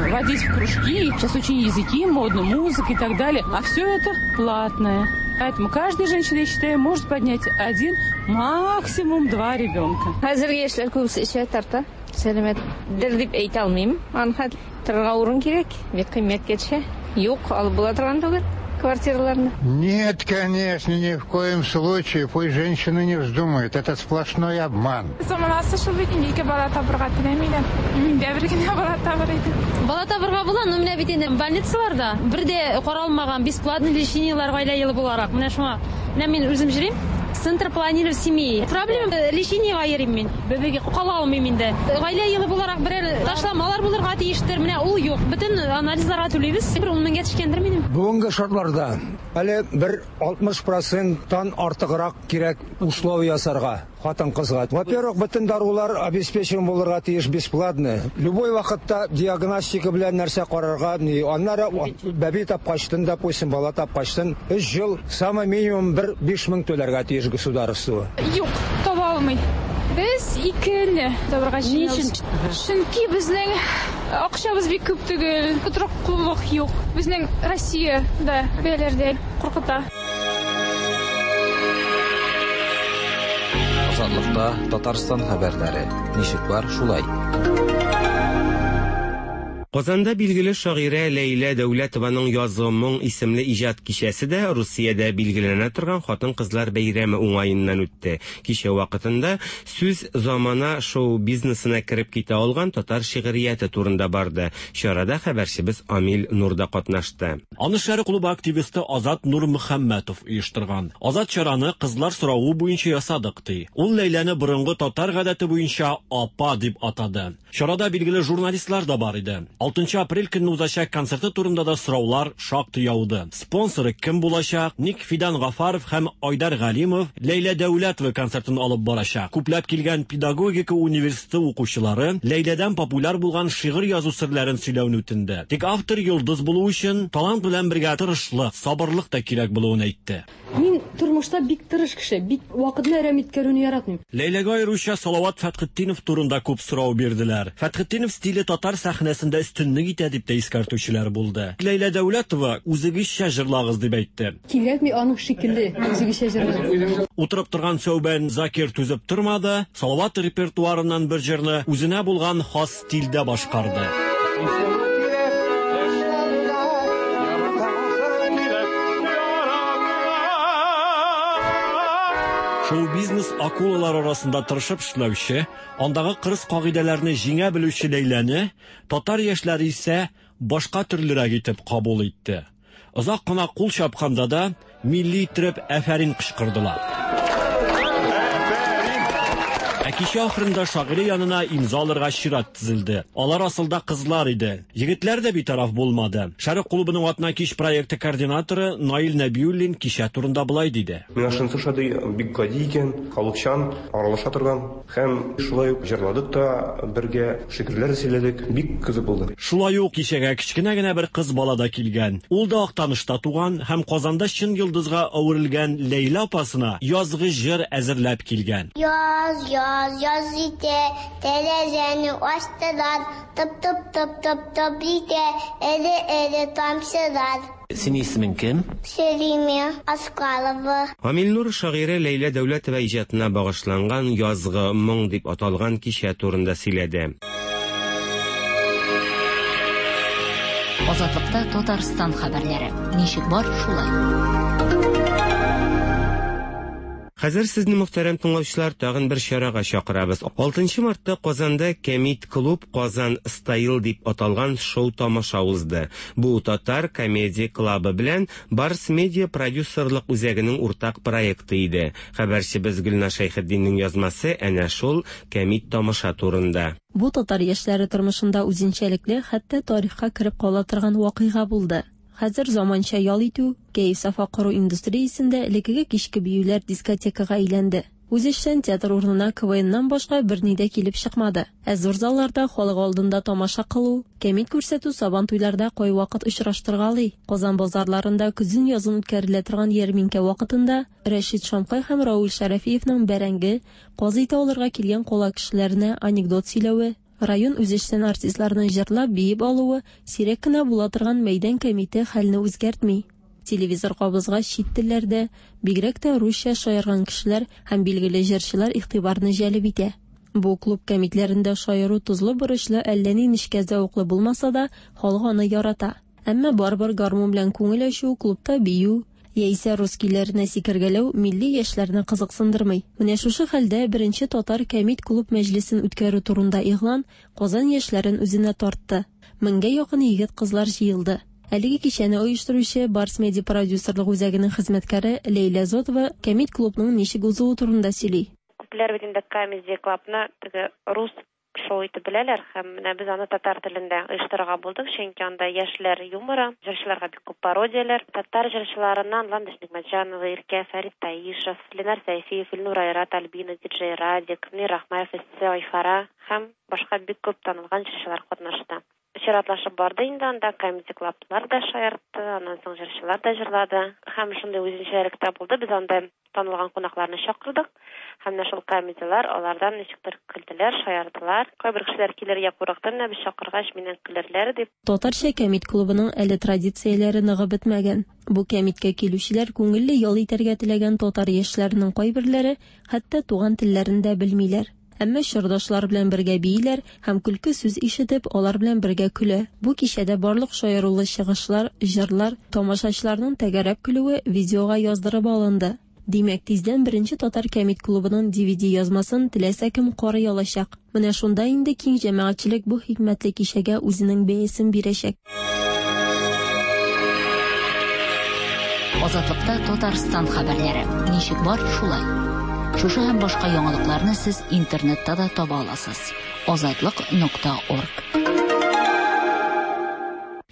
водить в кружки, сейчас очень языки модно, музыка и так далее, а все это платное. Поэтому каждая женщина, я считаю, может поднять один, максимум два ребенка. Хәзерге яшьләр күбесе эчә, тарта. Сәламәтдер дип әйтә алмыйм. Аны торырга урын кирәк, бик кыйммәткә төшә. Юк, алып була торган түгел квартираларны. Нет, конечно, ни в коем случае. Пусть женщины не вздумают. Это сплошной обман. Заманасы шул бит инде, ике бала табырга теләмиләр. Мин дә бер генә бала табыр идем. Бала табырга була, но менә бит инде больницаларда бер дә каралмаган бесплатный лечениелар гаилә елы буларак. Менә шуңа, менә мин үзем йөрим. Центр планирования семьи. Проблема лечениега йөрим мин. Бәбәгә кала алмыйм инде. Гаилә елы буларак берәр ташламалар булырга тиештер. Менә ул юк. Бөтен анализларга түлибез. Бер ун меңгә төшкәндер минем. Бүгенге шартларда әле бер алтмыш проценттан артыграк кирәк условия ясарга хатын-кызга. Во-первых, бөтен дарулар обеспечен булырга тиеш бесплатно. Любой вакытта диагностика белән нәрсә карарга, аннары бәби тапкачтын, допустим, бала тапкачтын, өч ел самый минимум бер биш мең түләргә тиеш государство. Юк, таба алмый. Без икене табырга җыенабыз. Чөнки безнең акчабыз бик күп түгел, тотрыклылык юк. Безнең Россиядә бәяләр дә куркыта. Азатлыкта Татарстан хәбәрләре. Ничек бар, шулай. Казанда билгеле шагыйрә Ләйлә Дәүләтованың Язгы моң исемле иҗат кичәсе дә Русиядә билгеләнә торган хатын-кызлар бәйрәме уңаеннан үтте. Кичә вакытында сүз замана шоу-бизнесына кереп китә алган татар шигърияте турында барды. Чарада хәбәрчебез Амил Нур да катнашты. Аны Шәрык клубы активисты Азат Нурмөхәммәтов оештырган. Азат чараны кызлар соравы буенча ясадык ди. Ул Ләйләне борынгы татар гадәте буенча апа дип атады. Чарада билгеле журналистлар да бар иде. Алтынчы апрель көнне узачак концерты турында да сораулар шактый яуды. Спонсоры кем булачак? Ник Фидан Гафаров һәм Айдар Галимов Ләйлә Дәүләтова концертын алып барачак. Күпләп килгән педагогика университеты укучылары Ләйләдән популяр булган шигырь язу серләрен сөйләүне үтенде. Тик автор йолдыз булу өчен талант белән бергә тырышлык, сабырлык та кирәк булуын әйтте. Мин тормышта бик тырыш кеше, бик вакытны әрәм иткәрүне яратмыйм. Ләйләгә аеруча Салават Фәтхетдинов турында күп сорау бирделәр. Фәтхетдинов стиле татар сәхнәсендә өстенлек итә дип тә искәртүчеләр булды. Ләйлә Дәүләтова үзегезчә җырлагыз дип әйтте. Кирәкми аның шикелле үзегезчә җырлагыз. Утырып торган Сәүбән Закир түзеп тормады, Салават репертуарыннан бер җырны үзенә булган хас стильдә башкарды. Шоу-бизнес акулалар арасында тырышып эшләүче, андагы кырыс кагыйдәләрне җиңә белүче Ләйләне татар яшьләре исә башка төрлерәк итеп кабул итте. Озак кына кул чапканда да милли итеп әфәрин кычкырдылар. Ә кичә ахырында шагыйрә янына имза алырга чират тезелде. Алар асылда кызлар иде. Егетләр дә битараф булмады. Шәрык клубының Атна кич проекты координаторы Наил Нәбиуллин кичә турында болай диде. Миңа шунысы ошады, бик гади икән, халыкчан, аралаша торган һәм шулай ук җырладык та бергә, шигырьләр сөйләдек, бик кызык булды. Шулай ук кичәгә кечкенә генә бер кыз бала да килгән. Ул да Актанышта туган һәм Казанда чын йолдызга әверелгән Ләйлә апасына язгы җыр әзерләп килгән. Яз, яз, яз итә, тәрәзәне ачтылар, тып-тып-тып-тып-тып итә, эре-эре тамчылар. Синең исемең кем? Селиме Аскалова. Амил Нур шагыйрә Ләйлә Дәүләтова иҗатына багышланган Язгы моң дип аталган кичә турында сөйләде. Азатлыкта Татарстан хәбәрләре. Ничек бар, шулай. Хәзер сезне, мөхтәрәм тыңлаучылар, тагын бер чарага чакырабыз. Алтынчы мартта Казанда Кәмит клуб Казан Стайл дип аталган шоу-тамаша узды. Бу татар комедия клубы белән Барс Медиа продюсерлык үзәгенең уртак проекты иде. Хәбәрчебез Гөлназ Шәйхетдиннең язмасы әнә шул кәмит тамаша турында. Бу татар яшьләре тормышында үзенчәлекле, хәтта тарихка кереп кала торган вакыйга булды. Хәзер заманча ял итү, кәеф-сафа кору индустриясендә элеккеге кичке биюләр дискотекага әйләнде. Үзешчән театр урынына КВНнан башка берни дә килеп чыкмады. Ә зур залларда халык алдында тамаша кылу, кәмит күрсәтү сабан туйларда кайвакыт очраштыргалый. Казан базарларында көзен язын үткәрелә торган ярминкә вакытында Рәшит Шамкай һәм Рауль Шәрәфиевның бәрәңге, каз ите алырга килгән кала кешеләренә анекдот сөйләве, район үзешчән артистларының җырлап биеп алуы сирәк кенә була торган мәйдан кәмите хәлне үзгәртми. Телевизор кабызга чит телләрдә, бигрәк тә русча шаярган кешеләр һәм билгеле җырчылар игътибарны җәлеп итә. Бу клуб кәмитләрендә шаяру тозлы борычлы әллә ни нечкә зәвыклы булмаса да, халык аны ярата. Әмма барыбер гармун белән күңел ачу, клубта бию яисә рус көйләренә сикергәләү милли яшьләрне кызыксындырмый. Менә шушы хәлдә беренче татар кәмит клуб мәҗлесен үткәрү турында игълан Казан яшьләрен үзенә тартты. Меңгә якын егет-кызлар җыелды. Әлеге кичәне оештыручы Барс Медиа продюсерлык үзәгенең хезмәткәре Ләйлә Зотова кәмит клубның ничек узуы турында сөйли. Күпләр бит инде комедия клубны теге рус шоу итеп беләләр һәм менә без аны татар телендә оештырырга булдык, чөнки анда яшьләр юморы, җырчыларга бик күп пародияләр, татар җырчыларыннан Ландыш Нигъмәтҗанова, Иркә, Фәрит Таишев, Ленар Сәйфиев, Илнур Айрат, Альбина, Диджей Радик, Мөнир Рахмаев, Эссе Айфара һәм башка бик күп танылган җырчылар катнашты. Чиратлашып барды инде анда комедия клублар да шаяртты, аннан соң җырчылар да җырлады. Һәм шундый үзенчәлек тә булды, без анда танылган кунакларны чакырдык. Һәм менә шул комедияләр алардан ничектер көлделәр, шаярдылар. Кайбер кешеләр килергә курыкты, менә без чакыргач миннән көлерләр дип. Татарча кәмит клубының әле традицияләре ныгып бетмәгән. Бу кәмиткә килүчеләр күңелле ял итәргә теләгән татар яшьләренең кайберләре хәтта туган телләрен дә белмиләр. Әмма чордашлар белән бергә бииләр һәм көлке сүз ишетеп, алар белән бергә көлә. Бу кичәдә барлык шаярулы чыгышлар, җырлар, тамашачыларның тәгәрәп көлүе видеога яздырып алынды. Димәк, тиздән беренче татар кәмит клубының D V D язмасын теләсә кем карый алачак. Менә шунда инде киң җәмәгатьчелек бу хикмәтле кичәгә үзенең бәясен бирәчәк. Азатлыкта Татарстан хәбәрләре. Ничек бар, шулай. Шушы һәм башка яңалыкларны сез интернетта да таба аласыз. Азатлык нокта орг.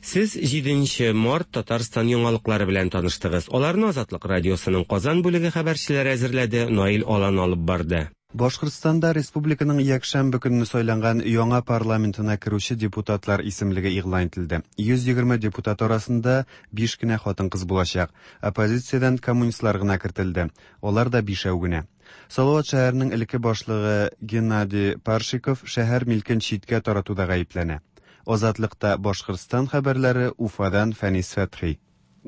Сез җиденче март Татарстан яңалыклары белән таныштыгыз. Аларны Азатлык радиосының Казан бүлеге хәбәрчеләре әзерләде, Наил Алан алып барды. Башкортстанда республиканың якшәмбе көнне сайланган яңа парламентына керүче депутатлар исемлеге игълан ителде. йөз егерме депутат арасында биш кенә хатын-кыз булачак. Оппозициядән коммунистлар гына кертелде. Алар да бишәү генә. Салават шәһәренең элекке башлыгы Геннадий Паршиков шәһәр милкен читкә таратуда гаепләнә. Азатлыкта Башкортстан хәбәрләре Уфадан Фәнис Фәтхи.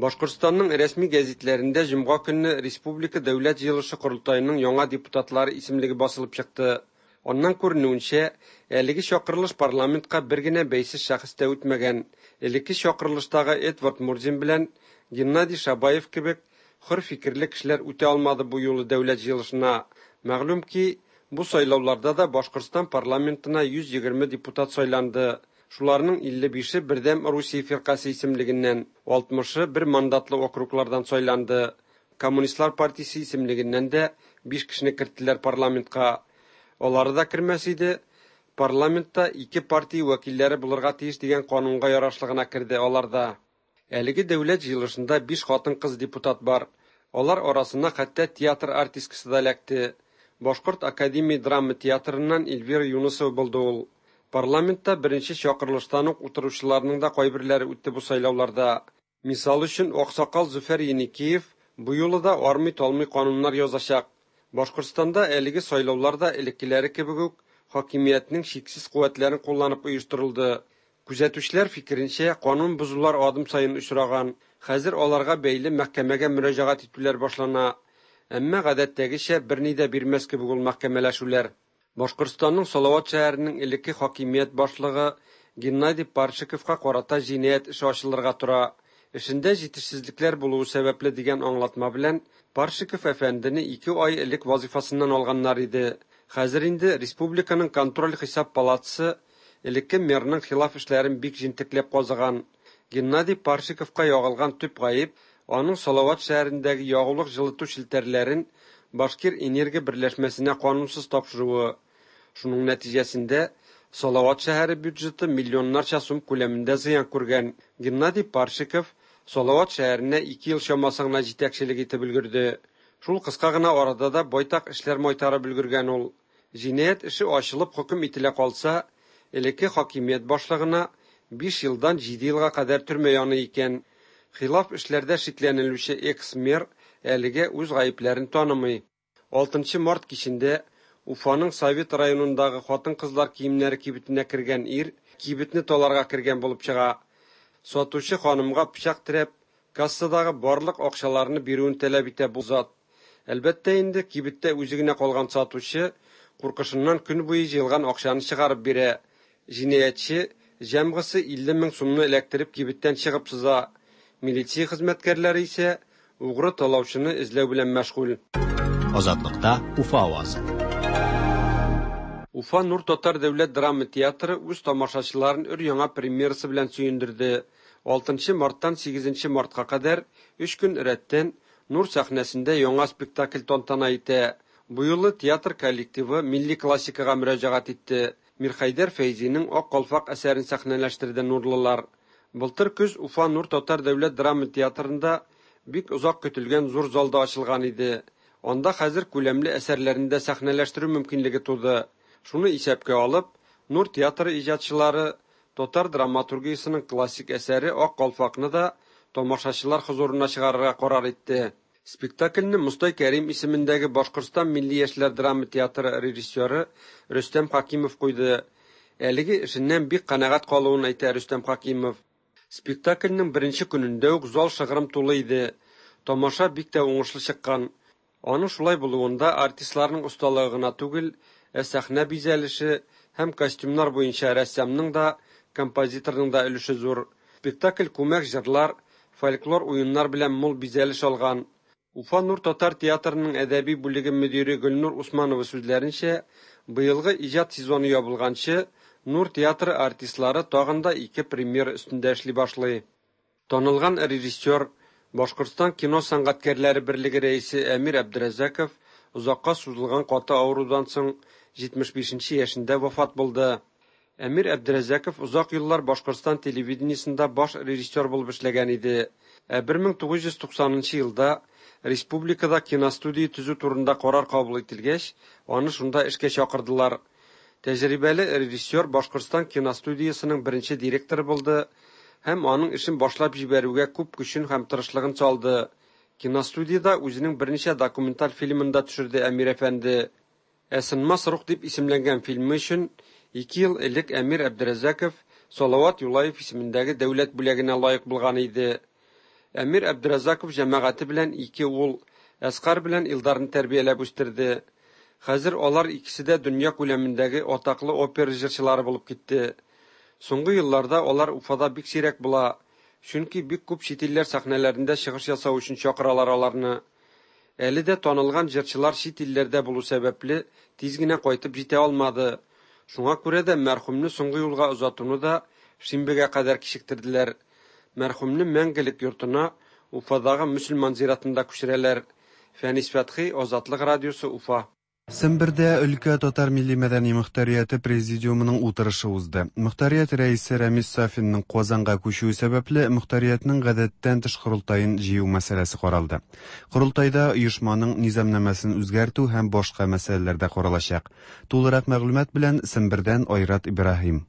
Башкортстанның рәсми гәзитләрендә җомга көнне Республика дәүләт җыелышы корылтаеның яңа депутатлары исемлеге басылып чыкты. Аннан күренүенчә, әлеге чакырылыш парламентка бер генә бәйсез шәхес тә үтмәгән. Элекке чакырылыштагы Эдвард Мурзин белән Геннадий Шабаев кебек хөр фикерле кешеләр үтә алмады бу юлы дәүләт җыелышына. Мәгълүм ки, бу сайлауларда да Башкортстан парламентына йөз егерме депутат сайланды. Шуларның илле бише Бердәм Русия фиркасе исемлегеннән, алтмышы бер мандатлы округлардан сайланды. Коммунистлар партиясе исемлегеннән дә биш кешене керттеләр парламентка. Алары да кермәс иде, парламентта ике партия вәкилләре булырга тиеш дигән канунга ярашлы гына керде алар да. Әлеге дәүләт җыелышында биш хатын-кыз депутат бар. Алар арасына хәтта театр артисткасы да эләкте. Башкорт академия драма театрыннан Эльвира Юнусова булды ул. Парламентта беренче чакырылыштан ук утыручыларның да кайберләре үтте бу сайлауларда. Мисал өчен, Аксакал Зөфәр Еникеев бу юлы да армый-талмый кануннар язачак. Башкортстанда әлеге сайлауларда элеккеләре кебек үк хакимиятнең чиксез куәтләрен кулланып оештырылды. Күзәтүчеләр фикеренчә, канун бозулар адым саен очраган. Хәзер аларга бәйле мәхкәмәгә мөрәҗәгать итүләр башлана. Әмма гадәттәгечә берни дә бирмәс кебек ул мәхкәмәләшүләр. Башкортстанның Салават шәһәренең элекке хакимият башлыгы Геннадий Паршиковка карата җинаять эше ачылырга тора. Эшендә җитешсезлекләр булуы сәбәпле дигән аңлатма белән Паршиков әфәндене ике ай элек вазифасыннан алганнар иде. Хәзер инде республиканың контроль хисап палатасы элекке мэрның хилаф эшләрен бик җентекләп казыган. Геннадий Паршиковка ягылган төп гаеп аның Салават шәһәрендәге ягулык җылыту челтәрләрен Башкир энергия берләшмәсенә канунсыз тапшыруы. Шуның нәтиҗәсендә Салават шәһәре бюджеты миллионнарча сум күләмендә зыян күргән. Геннадий Паршиков Салават шәһәренә ике ел чамасы гына җитәкчелек итеп өлгерде. Шул кыска гына арада да байтак эшләр майтарып өлгергән ул. Җинаять эше ачылып хөкем ителә калса, элекке хакимият башлыгына биш елдан җиде елга кадәр төрмә яный икән. Хилаф эшләрдә шикләнелүче экс-мэр әлегә үз гаепләрен танымый. Алтынчы март кичендә Уфаның Совет районындагы хатын-кызлар киемнәре кибетенә кергән ир кибетне таларга кергән булып чыга. Сатучы ханымга пычак терәп, кассадагы барлык акчаларны бирүен таләп итә бу зат. Әлбәттә инде кибеттә үзе генә калган сатучы куркышыннан көн буе җыелган акчаны чыгарып бирә. Җинаятьче җәмгысе илле мең сумны эләктереп кибеттән чыгып сыза. Милиция хезмәткәрләре исә угры талаучыны эзләү белән мәшгуль. Азатлыкта Уфа авазы. Уфа Нур Татар дәүләт драма театры үз тамашачыларын өр-яңа премьерасы белән сөендерде. Алтынчы марттан сигезенче мартка кадәр өч көн рәттән Нур сәхнәсендә яңа спектакль тантана итә. Бу юлы театр коллективы милли классикага мөрәҗәгать итте. Мирхәйдәр Фәйзинең Ак калфак әсәрен сәхнәләштерде нурлылар. Былтыр көз Уфа Нур Татар дәүләт драма театрында бик озак көтелгән зур залда ачылган иде. Анда хәзер күләмле әсәрләрен дә сәхнәләштерү мөмкинлеге туды. Шуны исәпкә алып, Нур театры иҗатчылары татар драматургиясының классик әсәре Ак калфакны да тамашачылар хозурына чыгарырга карар итте. Спектакльне Мостай Кәрим исемендәге Башкортстан милли яшьләр драма театры режиссеры Рөстәм Хакимов куйды. Әлеге эшеннән бик канәгать калуын әйтә Рөстәм Хакимов. Спектакльнең беренче көнендә үк зал шыгрым тулы иде. Тамаша бик тә уңышлы чыккан. Аның шулай булуында артистларның осталыгы гына түгел, Ә сәхнә бизәлеше һәм костюмнар буенча рәссамның да, композиторның да өлеше зур. Спектакль күмәк җырлар, фольклор уеннар белән мул бизәлеш алган. Уфа Нур татар театрының әдәби бүлеге мөдире Гөлнур Усманова сүзләренчә, быелгы иҗат сезоны ябылганчы Нур театры артистлары тагын да ике премьера өстендә эшли башлый. Танылган режиссер, Башкортстан кино сәнгатькәрләре берлеге рәисе Әмир Әбдерәзәков озакка сузылган каты авырудан соң җитмеш бишенче яшендә вафат булды. Әмир Әбдерәзәков озак еллар Башкортстан телевидениесендә баш режиссер булып эшләгән иде. Ә бер мең тугыз йөз туксанынчы елда республикада киностудия төзү турында карар кабул ителгәч, аны шунда эшкә чакырдылар. Тәҗрибәле режиссер Башкортстан киностудиясенең беренче директоры булды һәм аның эшен башлап җибәрүгә күп көчен һәм тырышлыгын салды. Киностудияда үзенең берничә документаль фильмын да төшерде Әмир әфәнде. Ә Сынмас рух дип исемләнгән фильмы өчен ике ел элек Әмир Әбдерәзәков Салават Юлаев исемендәге дәүләт бүләгенә лаек булган иде. Әмир Әбдерәзәков җәмәгате белән ике ул, Әсҡар белән Илдарны тәрбияләп үстерде. Хәзер алар икесе дә дөнья күләмендәге атаклы опера җырчылары булып китте. Соңгы елларда алар Уфада бик сирәк була, чөнки бик күп чит илләр сәхнәләрендә чыгыш ясау өчен чакыралар аларны. Әле дә танылган җырчылар чит илләрдә булу сәбәпле тиз генә кайтып җитә алмады. Шуңа күрә дә мәрхүмне соңгы юлга озатуны да шимбегә кадәр кичектерделәр. Мәрхүмне мәңгелек йортына Уфадагы мөселман зиратында күчерәләр. Фәнис Фәтхи, Азатлык радиосы, Уфа. Сембердә өлкә татар милли мәдәни мөхтәрияте президиумының утырышы узды. Мөхтәрият рәисе Рәмис Сафинның Казанга күчүе сәбәпле мөхтәриятнең гадәттән тыш корылтаен җыю мәсьәләсе каралды. Корылтайда оешманың низамнамәсен үзгәртү һәм башка мәсьәләләр дә каралачак. Тулырак мәгълүмат белән Сембердән Айрат Ибраһим.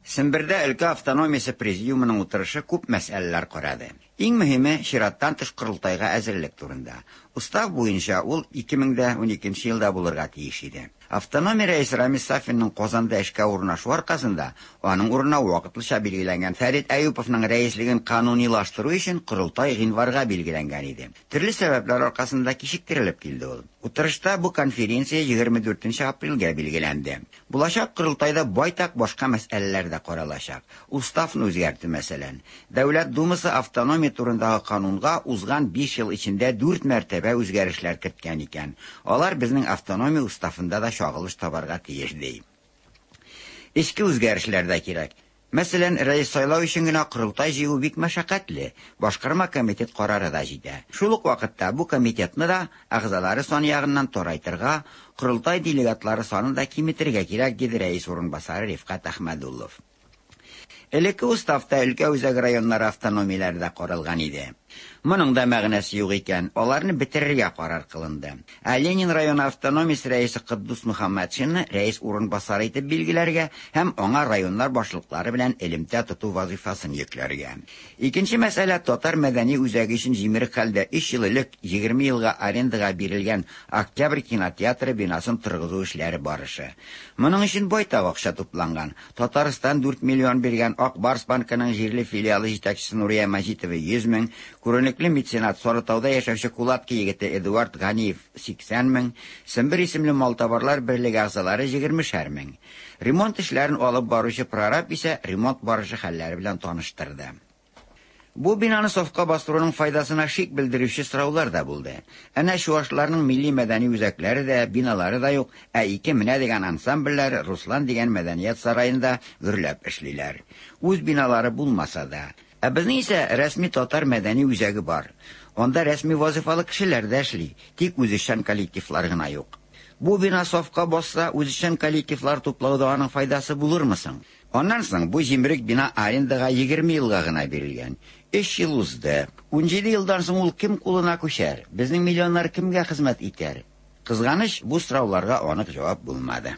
Сембердә өлкә автономиясе президиумының утырышы күп мәсьәләләр карады. Иң мөһиме чираттан тыш корылтайга әзерлек турында. Устав буенча ул ике мең дә уникенче елда булырга тиеш иде. Автономия рәисе Рамис Сафинның Казанда эшкә урнашу аркасында аның урынына вакытлыча билгеләнгән Фәрит Әюповның рәислеген канунилаштыру өчен корылтай гыйнварга билгеләнгән иде. Төрле сәбәпләр аркасында кичектерелеп килде ул. Утырышта бу конференция егерме дүртенче апрельгә билгеләнде. Булачак корылтайда байтак башка мәсьәләләр дә каралачак. Уставны үзгәртү мәсәлән. Дәүләт Думасы автономия турындагы канунга узган биш ел эчендә дүрт мәртәбә үзгәрешләр керткән икән. Алар безнең автономия уставында да чагылыш табарга тиеш ди. Эчке үзгәрешләр дә кирәк. Мәсәлән, рәис сайлау өчен генә корылтай җыю бик мәшәкатьле. Башкарма комитет карары да җитә. Шул ук вакытта бу комитетны да әгъзалары саны ягыннан тарайтырга, корылтай делегатлары санын да киметергә кирәк, диде рәис урынбасары Рифкат Әхмәдуллов. Элекке уставта өлкә үзәк районнары автономияләре дә каралган иде. Моның да мәгънәсе юк икән, аларны бетерергә карар кылынды. Ә Ленин районы автономиясе рәисе Кыддус Мөхәммәтшинны рәис урынбасары итеп билгеләргә һәм аңа районнар башлыклары белән элемтә тоту вазифасын йөкләргә. Икенче мәсьәлә татар мәдәни үзәге өчен җимерек хәлдә өч ел элек егерме елга арендага бирелгән Октябрь кинотеатры бинасын торгызу эшләре барышы. Моның өчен байтак акча тупланган. Татарстан дүрт миллион биргән, Ак Барс банкының җирле филиалы җитәкчесе Нурия Мәҗитова йөз мең, күренекле меценат Сарытауда яшәүче Кулатки егете Эдуард Ганиев сиксән мең, Сембер исемле малтабарлар берлеге әгъзалары егермешәр мең. Ремонт эшләрен алып баручы прораб исә ремонт барышы хәлләре белән таныштырды. Бу бинаны сафка бастыруның файдасына шик белдерүче сораулар да булды. Әнә чуашларның милли мәдәни үзәкләре дә, биналары да юк, ә ике менә дигән ансамбльләр Руслан дигән мәдәният сараенда гөрләп эшлиләр. Үз биналары булмаса да. Ә безнең исә рәсми татар мәдәни үзәге бар. Анда рәсми вазифалы кешеләр дә эшли, тик үзешчән коллективлар гына юк. Бу бина сафка басса, үзешчән коллективлар туплауда аның файдасы булырмы соң? Аннан соң бу җимерек бина арендага егерме елга гына бирелгән. Өч ел узды. Унҗиде елдан соң ул кем кулына күчәр? Безнең миллионнар кемгә хезмәт итәр? Кызганыч, бу сорауларга анык җавап булмады.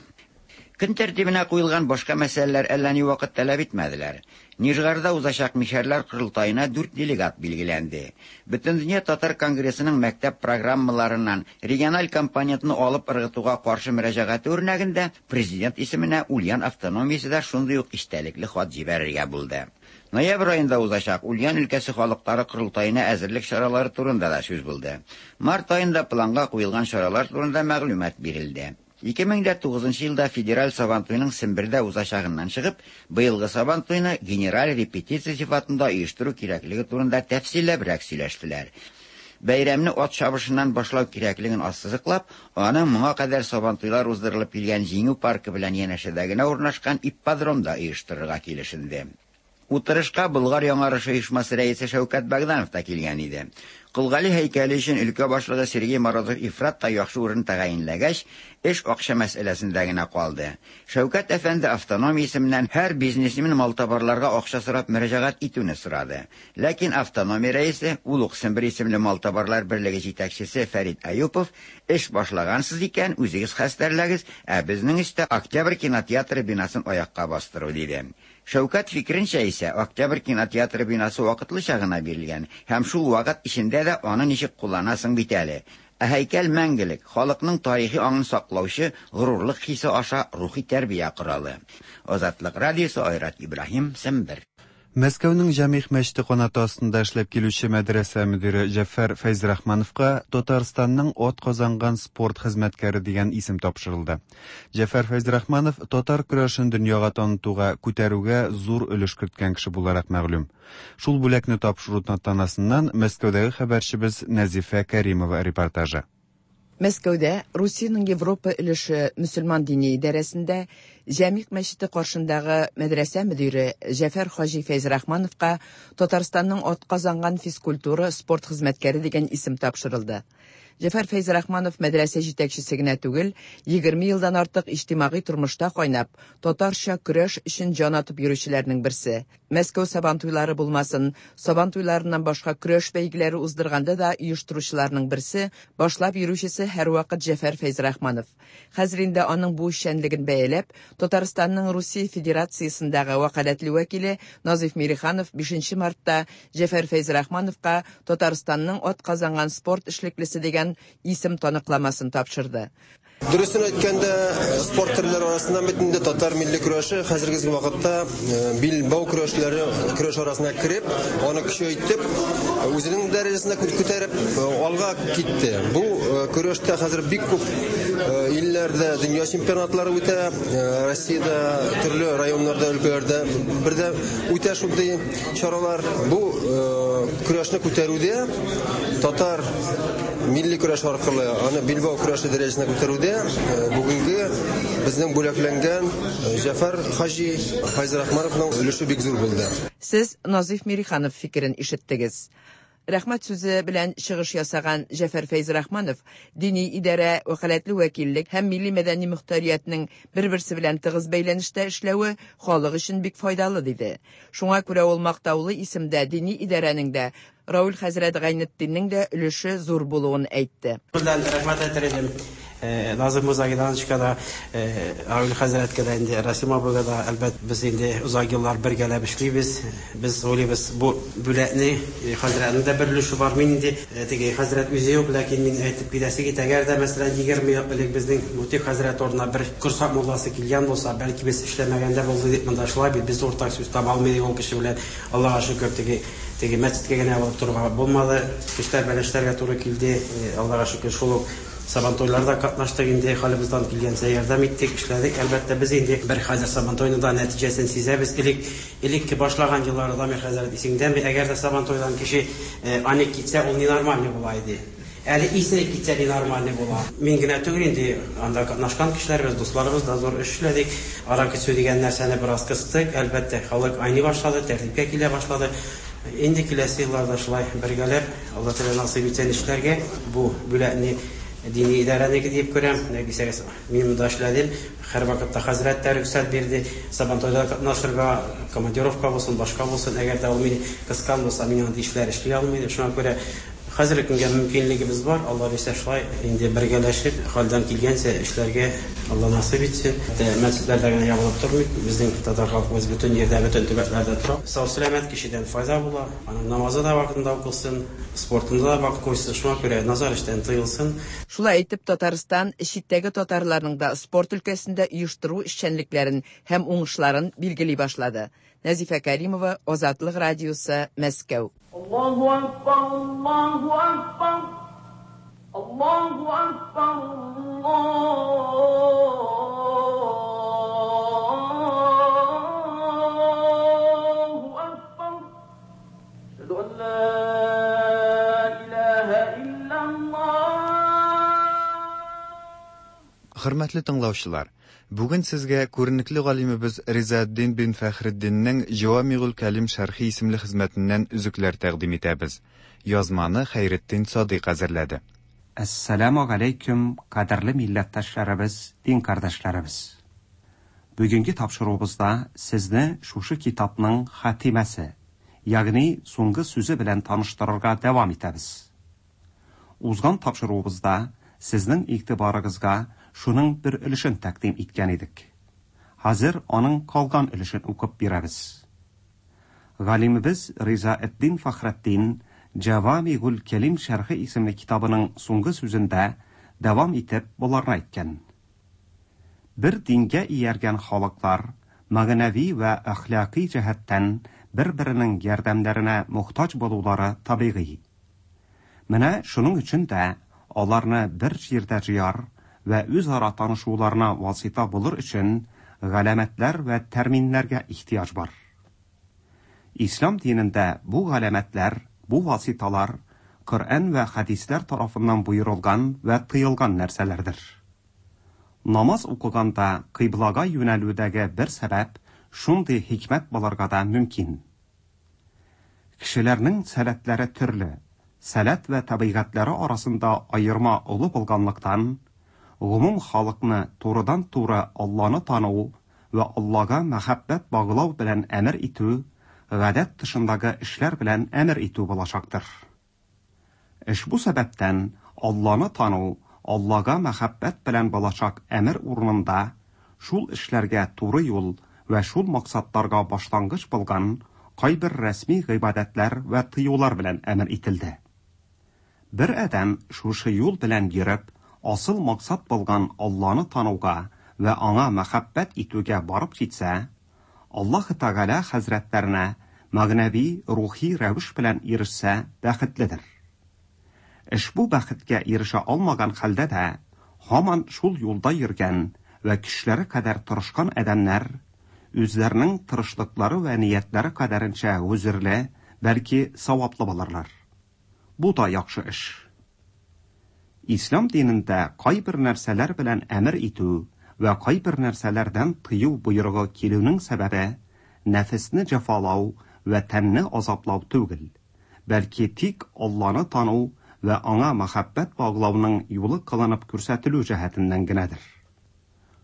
Көн тәртибенә куелган башка мәсьәләләр әллә ни вакыт таләп итмәделәр. Нижгарда узачак мишәрләр корылтаена дүрт делегат билгеләнде. Бөтендөнья татар конгрессының мәктәп программаларыннан региональ компонентны алып ыргытуга каршы мөрәҗәгате үрнәгендә президент исеменә Ульян автономиясе дә шундый ук истәлекле хат җибәрергә булды. Ноябрь аенда узачак Ульян өлкәсе халыклары корылтаена әзерлек чаралары турында да сүз булды. Март аенда планга куелган чаралар турында мәгълүмат бирелде. Ике мең дә тугызынчы елда федераль Сабантуйның Сембердә узачагыннан чыгып, быелгы Сабантуйны генераль репетиция сыйфатында оештыру кирәклеге турында тәфсилләбрәк сөйләштеләр. Бәйрәмне ат чабышыннан башлау кирәклеген ассызыклап, аны моңа кадәр Сабантуйлар уздырылып килгән Җиңү паркы белән янәшәдә генә урнашкан ипподромда оештырырга килешенде. Утырышка Болгар яңарышы оешмасы рәисе Шәүкәт Богданов та килгән иде. Колгали һәйкәле өчен өлкә башлыгы Сергей Морозов ифрат та яхшы урын тәгаенләгәч, эш акча мәсьәләсендә генә калды. Шәүкәт әфәнде автономия исеменнән һәр бизнесмен малтабарларга акча сорап мөрәҗәгать итүне сорады. Ләкин автономия рәисе, ул ук Сембер исемле малтабарлар берлеге җитәкчесе Фәрит Аюпов, эш башлагансыз икән, үзегез хәстәрләгез, ә безнең өстә Октябрь кинотеатры бинасын аякка бастыру, диде. Шәүкәт фикеренчә исә, Октябрь кинотеатры бинасы вакытлыча гына бирелгән һәм шул вакыт эчендә дә аны ничек кулланасың бит әле. Ә һәйкәл мәңгелек, халыкның тарихи аңын саклаучы горурлык хисе аша рухи тәрбия коралы. Азатлык радиосы, Айрат Ибраһим, Сембер. Мәскәүнең Җәмигъ мәчете канаты астында эшләп килүче мәдрәсә мөдире Җәфәр Фәйзрахмановка Татарстанның ат казанган спорт хезмәткәре дигән исем тапшырылды. Җәфәр Фәйзрахманов татар көрәшен дөньяга танытуга, күтәрүгә зур өлеш керткән кеше буларак мәгълүм. Шул бүләкне тапшыру тантанасыннан Мәскәүдәге хәбәрчебез Нәзифә Кәримова репортажы. Мәскәүдә Русиянең Европа өлеше мөселман дини идарәсендә Җәмигъ мәчете каршындагы мәдрәсә мөдире Җәфәр хаҗи Фәйзрахмановка Татарстанның ат казанган физкультура спорт хезмәткәре дигән исем тапшырылды. Җәфәр Фәйзрахманов мәдрәсә җитәкчесе генә түгел, егерме елдан артык иҗтимагый тормышта кайнап, татарча көрәш өчен җан атып йөрүчеләрнең берсе. Мәскәү Сабантуйлары булмасын, Сабантуйларыннан башка көрәш бәйгеләре уздырганда да оештыручыларның берсе, башлап йөрүчесе һәрвакыт Җәфәр Фәйзрахманов. Хәзер инде аның бу эшчәнлеген бәяләп, Татарстанның Русия Федерациясендәге вәкаләтле вәкиле Назиф Мириханов бишенче мартта Җәфәр Фәйзрахмановка Татарстанның ат казанган спорт эшлеклесе дигән исем таныкламасын тапшырды. Дөресен әйткәндә, спорт төрләре арасыннан бит инде татар милли көрәше хәзерге вакытта билбау көрәшләре көрәш арасына кереп, аны көчәйтеп, үзенең дәрәҗәсенә күтәреп алга китте. Бу көрәштә хәзер бик күп илләрдә дөнья чемпионатлары үтә, Россиядә төрле районнарда, өлкәләрдә бердә үтә шундый чаралар. Бу көрәшне күтәрүдә татар милли көрәш аркылы аны билбау көрәше дәрәҗәсенә күтәрүдә бүгенге безнең бүләкләнгән Җәфәр хаҗи Фәйзрахмановның өлеше бик зур булды. Сез Назиф Мириханов фикерен ишеттегез. Рәхмәт сүзе белән чыгыш ясаган Җәфәр Фәйзрахманов дини идарә, вәкаләтле вәкиллек һәм милли мәдәни мөхтәриятнең бер-берсе белән тыгыз бәйләнештә эшләве халык өчен бик файдалы диде. Шуңа күрә ул мактаулы исемдә дини идарәнең дә, Рауль хәзрәт Гайнетдиннең дә өлеше зур булуын әйтте. Белән рәхмәт әйтер идем. Назым Музагидановичка да, Рауль хәзрәткә дә, инде Расим абыйга да, әлбәт без инде озак еллар бергәләп эшлибез. Без уйлыйбыз, бу бүләкне хәзрәтнең дә бер өлеше бар. Мин инде теге хәзрәт үзе юк, ләкин мин әйтеп китәсе кит, әгәр дә мәсәлән егерме ел элек безнең Мутик хәзрәт орнына бер Корсак мулласы килгән булса, бәлки без эшләмәгәндә булды дип монда шулай бит, без уртак сүз таба алмый идек ул кеше белән. Аллага шөкер, теге теге мәчеткә генә барып торырга булмады, кешеләр белән эшләргә туры килде. Аллага шөкер, шул ук Сабантуйларда катнаштык инде, халыбыздан килгәнчә ярдәм иттек, эшләдек. Әлбәттә, без инде бер хәзер Сабантуйның да нәтиҗәсен сизәбез. Элек элекке башлаган елларда, Дамир хәзрәт исеңдәме, әгәр дә Сабантуйдан кеше аник китсә, ул ненормальный була иде. Әле исерек китсә ненормальный була. Мин генә түгел инде, анда катнашкан кешеләребез, дусларыбыз да зур эш эшләдек. Аракы эчү дигән нәрсәне бераз кыстык. Әлбәттә, халык айный башлады, тәртипкә килә башлады. Инде киләсе елларда шулай бергәләп, Алла Тәгалә насыйп итсен эшләргә. Бу бүләкне дини идарәнеке дип күрәм. Нәтиҗәсез мин монда эшләдем. Һәр вакытта хәзрәт тә рөхсәт бирде. Сабантуйда катнашырга, командировка булсын, башка булсын. Әгәр дә ул мине кыскан булса, мин андый эшләр эшли алмыйм. Шуңа күрә хәзерге көнгә мөмкинлегебез бар. Алла бирсә, шулай инде бергәләшеп, хәлдән килгәнчә эшләргә Алла насыйп итсен. Мәчетләрдә генә ябылып тормый. Безнең татар халкыбыз бөтен җирдә, бөтен төбәкләрдә тора. Сау-сәламәт кешедән файда була. Аның намазы да вакытында укылсын, спортында да вакыт куйсын. Шуңа күрә назар эштән тыелсын. Шулай итеп, Татарстан читтәге татарларның да спорт өлкәсендә оештыру эшчәнлекләрен һәм уңышларын билгели башлады. Нәзифә Кәримова, Азатлык радиосы, Мәскәү. Аллаһу акбар, Аллаһу акбар, Allahu akbar, Allahu akbar. Eşhedü en la ilahe illallah. Хөрмәтле тыңлаучылар, бүген сезгә күренекле галимебез Ризаэддин бин Фәхретдиннең Җавамигул Кәлим шәрхи исемле хезмәтеннән өзекләр тәкъдим итәбез. Язманы Хәйретдин Садыйк әзерләде. Әссәламү галәйкүм, кадерле милләттәшләребез, дин кардәшләребез. Бүгенге тапшыруыбызда сезне шушы китапның хатимәсе, ягъни соңгы сүзе белән таныштырырга дәвам итәбез. Узган тапшыруыбызда сезнең игътибарыгызга шуның бер өлешен тәкъдим иткән идек. Хәзер аның калган өлешен укып бирәбез. Галимебез Ризаэддин Фәхретдин Җавамигул Кәлим шәрхе исемле китабының соңгы сүзендә дәвам итеп боларны әйткән. Бер дингә ияргән халыклар мәгънәви вә әхлакый җәһәттән бер-беренең ярдәмнәренә мохтаҗ булулары табигый. Менә шуның өчен дә аларны бер җирдә җыяр вә үзара танышуларына васита булыр өчен галәмәтләр вә терминнәргә ихтыяҗ бар. Ислам динендә бу галәмәтләр, бу васиталар Коръән вә хәдисләр тарафыннан буйрылган вә тыелган нәрсәләрдер. Намаз укыганда кыйблага юнәлүдәге бер сәбәп шундый хикмәт булырга да мөмкин. Кешеләрнең сәләтләре төрле, сәләт вә табигатьләре арасында аерма олы булганлыктан, гомум халыкны турыдан-туры Алланы тану вә Аллага мәхәббәт баглау белән әмер итү гадәт тышындагы эшләр белән әмер итү булачактыр. Эш бу сәбәптән Алланы тану, Аллага мәхәббәт белән булачак әмер урынында шул эшләргә туры юл вә шул максатларга башлангыч булган кайбер рәсми гыйбадәтләр вә тыюлар белән әмер ителде. Бер адәм шушы юл белән йөреп, асыл максат булган Алланы тануга вә аңа мәхәббәт итүгә барып җитсә, Аллаһ Тәгалә хәзрәтләренә мәгънәви, рухи рәвеш белән ирешсә, бәхетледер. Эшбу бәхеткә ирешә алмаган хәлдә дә, һаман шул юлда йөргән вә көчләре кадәр тырышкан адәмнәр үзләренең тырышлыклары вә ниятләре кадәренчә гозерле, бәлки саваплы булырлар. Бу да яхшы эш. Ислам динендә кайбер нәрсәләр белән әмер итү вә кайбер нәрсәләрдән тыю боерыгы килүнең сәбәбе нәфесне җәфалау вә тәнне азаплау түгел, бәлки тик Алланы тану вә аңа мәхәббәт баглауның юлы кылынып күрсәтелү җәһәтеннән генәдер.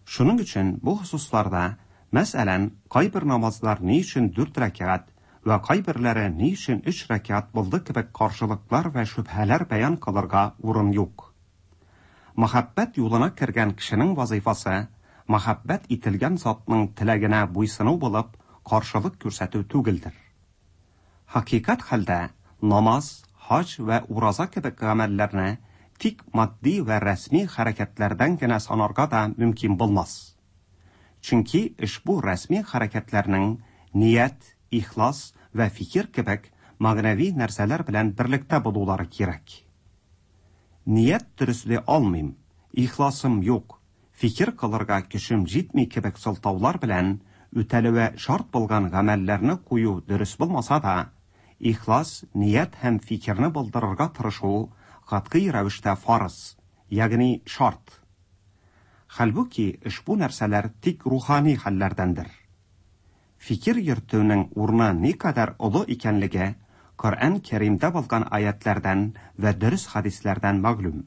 Шуның өчен бу хосусларда, мәсәлән, кайбер намазлар ни өчен дүрт рәкәгать вә кайберләре ни өчен өч рәкәгать булды кебек каршылыклар вә шөбһәләр бәян кылырга урын юк. Мәхәббәт юлына кергән кешенең вазифасы мәхәббәт ителгән затның теләгенә буйсыну булып, каршылык күрсәтү түгелдер. Хакыйкать хәлдә намаз, хаҗ вә ураза кебек гамәлләрне тик матди вә рәсми хәрәкәтләрдән генә санарга да мөмкин булмас. Чөнки ошбу рәсми хәрәкәтләрнең ният, ихлас вә фикер кебек мәгънәви нәрсәләр белән берлектә булулары кирәк. Ният дөресли алмыйм, ихласым юк, фикер кылырга көчем җитми кебек сылтаулар белән үтәлүе шарт булган гамәлләрне кую дөрес булмаса да, ихлас, ният һәм фикерне булдырырга тырышу катгый рәвештә фарыз, ягъни шарт. Хәлбуки ошбу нәрсәләр тик рухани хәлләрдәндер. Фикер йөртүнең урыны никадәр олы икәнлеге Коръән Кәримдә булган аятлардан вә дөрес хәдисләрдән мәгълүм.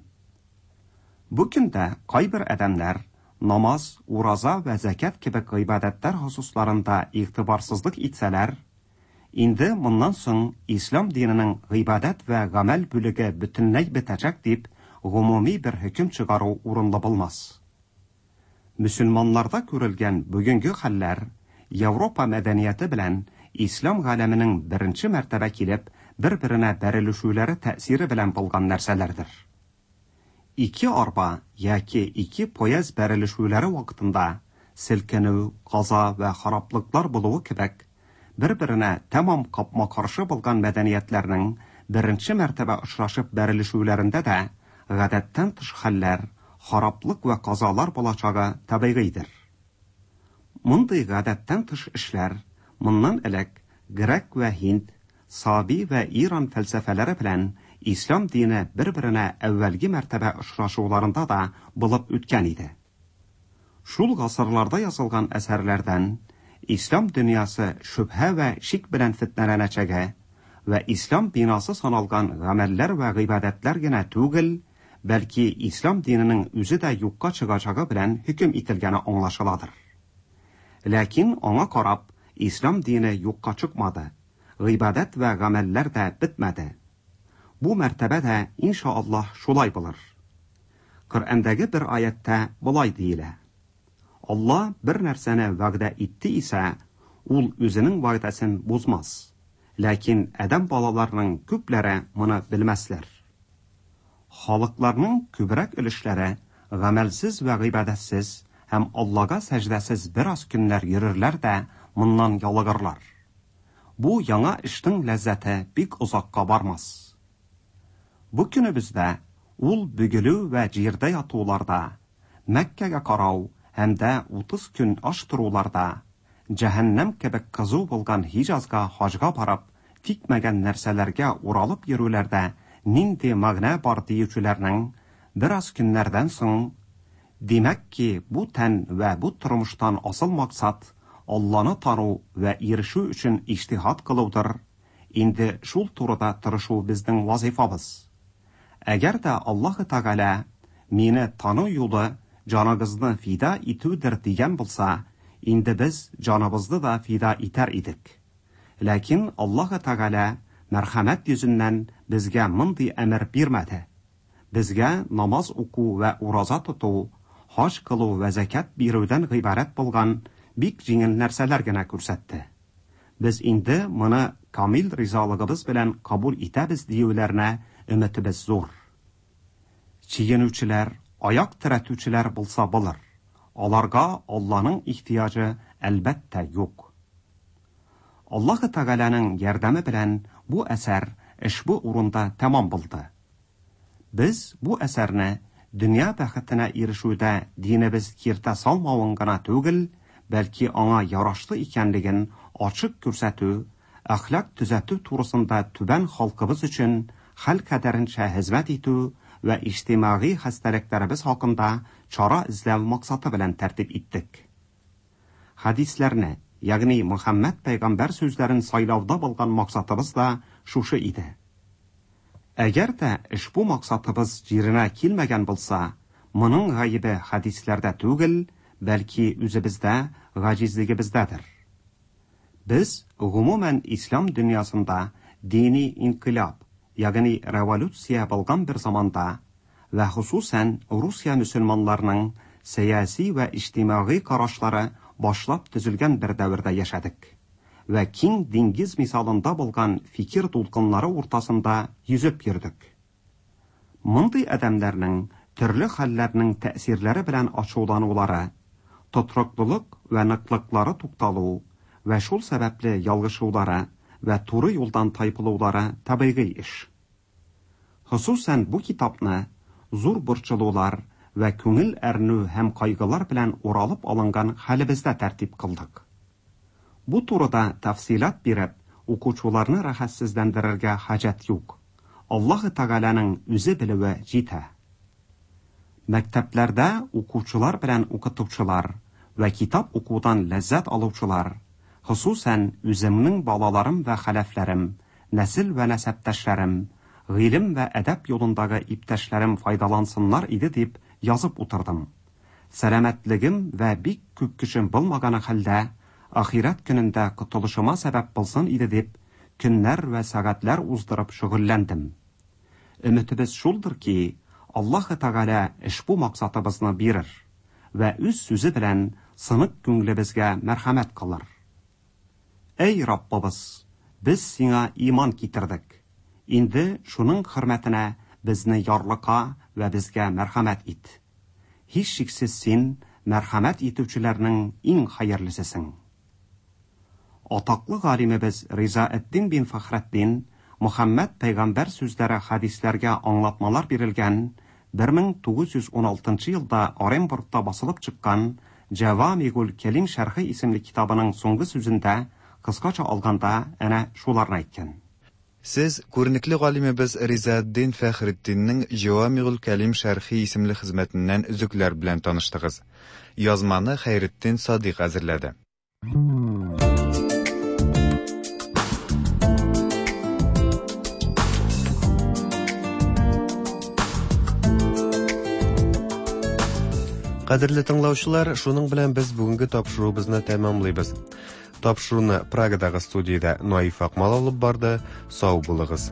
Бу көндә кайбер адәмнәр намаз, ураза вә зәкят кебек гыйбадәтләр хосусларында игътибарсызлык итсәләр, инде моннан соң ислам диненең гыйбадәт вә гамәл бүлеге бөтенләй бетәчәк дип гомуми бер хөкем чыгару урынлы булмас. Мөселманнарда күрелгән бүгенге хәлләр Европа мәдәнияте белән ислам галәменең беренче мәртәбә килеп бер-беренә бәрелешүләре тәэсире белән булган нәрсәләрдер. Ике арба яки ике поезд бәрелешүләре вакытында селкенү, каза вә хараплыклар булуы кебек, бер-беренә тәмам капма-каршы булган мәдәниятләрнең беренче мәртәбә очрашып бәрелешүләрендә дә гадәттән тыш хәлләр, хараплык вә казалар булачагы табигыйдер. Мондый гадәттән тыш эшләр моннан элек грек вә һинд, Саби вә Иран фәлсәфәләре белән ислам дине бер-беренә әүвәлге мәртәбә очрашуларында да булып үткән иде. Шул гасырларда язылган әсәрләрдән ислам дөньясы шөбһә вә шик белән фетнәләнәчәге вә ислам бинасы саналган гамәлләр вә гыйбадәтләр генә түгел, бәлки ислам диненең үзе дә юкка чыгачагы белән хөкем ителгәне аңлашыладыр. Ләкин аңа карап, ислам дине юкка чыкмады, гыйбадәт вә гамәлләр дә бетмәде. Бу мәртәбә дә иншааллаһ шулай булыр. Коръәндәге бер аятта болай диелә: Алла бер нәрсәне вәгъдә итте исә, ул үзенең вәгъдәсен бозмас. Ләкин адәм балаларының күпләре моны белмәсләр. Халыкларның күбрәк өлешләре гамәлсез вә гыйбадәтсез һәм Аллага сәҗдәсез бераз көннәр йөрерләр дә моннан ялыгырлар. Бу яңа эшнең ләззәте бик озакка бармас. Бу көнебездә ул бөгелү вә җирдә ятуларда, Мәккәгә карау һәм дә утыз көн аш торуларда, җәһәннәм кебек кызу булган Һиҗазга хаҗга барып, тикмәгән нәрсәләргә уралып йөрүләрдә нинди мәгънә бар диючеләрнең бераз көннәрдән соң, димәк ки, бу тән вә бу тормыштан асыл максат Алланы тану вә ирешү өчен иҗтиһад кылудыр. Инде шул турыда тырышу безнең вазифабыз. Әгәр дә Аллаһы Тәгалә мине тану юлы җаныгызны фида итүдер дигән булса, инде без җаныбызны да фида итәр идек. Ләкин Аллаһы Тәгалә мәрхәмәт йөзеннән безгә мондый әмер бирмәде. Безгә намаз уку вә ураза тоту, хаҗ кылу вә зәкят бирүдән гыйбарәт булган бик җиңел нәрсәләр генә күрсәтте. Без инде моны камил ризалыгыбыз белән кабул итәбез диюләренә өметебез зур. Чигенүчеләр, аяк терәтүчеләр булса булыр. Аларга Алланың ихтыяҗы әлбәттә юк. Аллаһы Тәгаләнең ярдәме белән бу әсәр ошбу урында тәмам булды. Без бу әсәрне дөнья бәхетенә ирешүдә динебез киртә салмавын гына түгел, бәлки аңа ярашлы икәнлеген ачык күрсәтү, әхлак төзәтү турысында түбән халкыбыз өчен хәл кадәренчә хезмәт итү вә иҗтимагый хәстәлекләребез хакында чара эзләү максаты белән тәртип иттек. Хәдисләрне, ягъни Мөхәммәд пәйгамбәр сүзләрен сайлауда булган максатыбыз да шушы иде. Әгәр дә ошбу максатыбыз җиренә килмәгән булса, моның гаебе хәдисләрдә түгел, бәлки үзебездә, гаҗизлегебездәдер. Без гомумән ислам дөньясында дини инкыйлаб, ягъни революция булган бер заманда вә хосусән Русия мөселманнарының сәяси вә иҗтимагый карашлары башлап төзелгән бер дәвердә яшәдек вә киң диңгез мисалында булган фикер дулкыннары уртасында йөзеп йөрдек. Мондый адәмнәрнең төрле хәлләрнең тәэсирләре белән ачуланулары, тотрыклылык вә ныклыклары тукталу вә шул сәбәпле ялгышулары вә туры юлдан тайпылулары табигый эш. Хосусән бу китапны зур борчылулар вә күңел әрнү һәм кайгылар белән уралып алынган хәлебездә тәртип кылдык. Бу турыда тәфсилат биреп, укучыларны рәхәтсезләндерергә хаҗәт юк. Аллаһы Тәгаләнең үзе белүе җитә. Мәктәпләрдә укучылар белән укытучылар вә китап укудан ләззәт алучылар, хосусән үземнең балаларым вә хәләфләрем, нәсел вә нәсәптәшләрем, гыйлем вә әдәп юлындагы иптәшләрем файдалансыннар иде дип язып утырдым. Сәламәтлегем вә бик күп көчем булмаганы хәлдә, ахирәт көнендә котылышыма сәбәп булсын иде дип, көннәр вә сәгатьләр уздырып шөгыльләндем. Өметебез шулдыр ки, Аллаһы Тәгалә ошбу максатыбызны бирер вә үз сүзе белән сынык күңелебезгә мәрхәмәт кылыр. Әй Раббыбыз, без сиңа иман китердек. Инде шуның хөрмәтенә безне ярлыка вә безгә мәрхәмәт ит. Һичшиксез син мәрхәмәт итүчеләрнең иң хәерлесесең. Атаклы галимебез Ризаэддин бин Фәхретдин Мөхәммәд пәйгамбәр сүзләре хәдисләргә аңлатмалар бирелгән бер мең тугыз йөз уналтынчы елда Оренбургта басылып чыккан Җәвамигуль Кәлим шәрхе исемле китабының соңгы сүзендә кыскача алганда әнә шуларны әйткән. Сез күренекле галимебез Ризаэддин Фәхретдиннең Җәвамигуль Кәлим шәрхи исемле хезмәтеннән өзекләр белән таныштыгыз. Язманы Хәйретдин Садыйк әзерләде. Кадерле тыңлаучылар, шуның белән без бүгенге тапшыруыбызны тәмамлыйбыз. Тапшыруны Прагадагы студиядә Наиф Акмал алып барды. Сау булыгыз.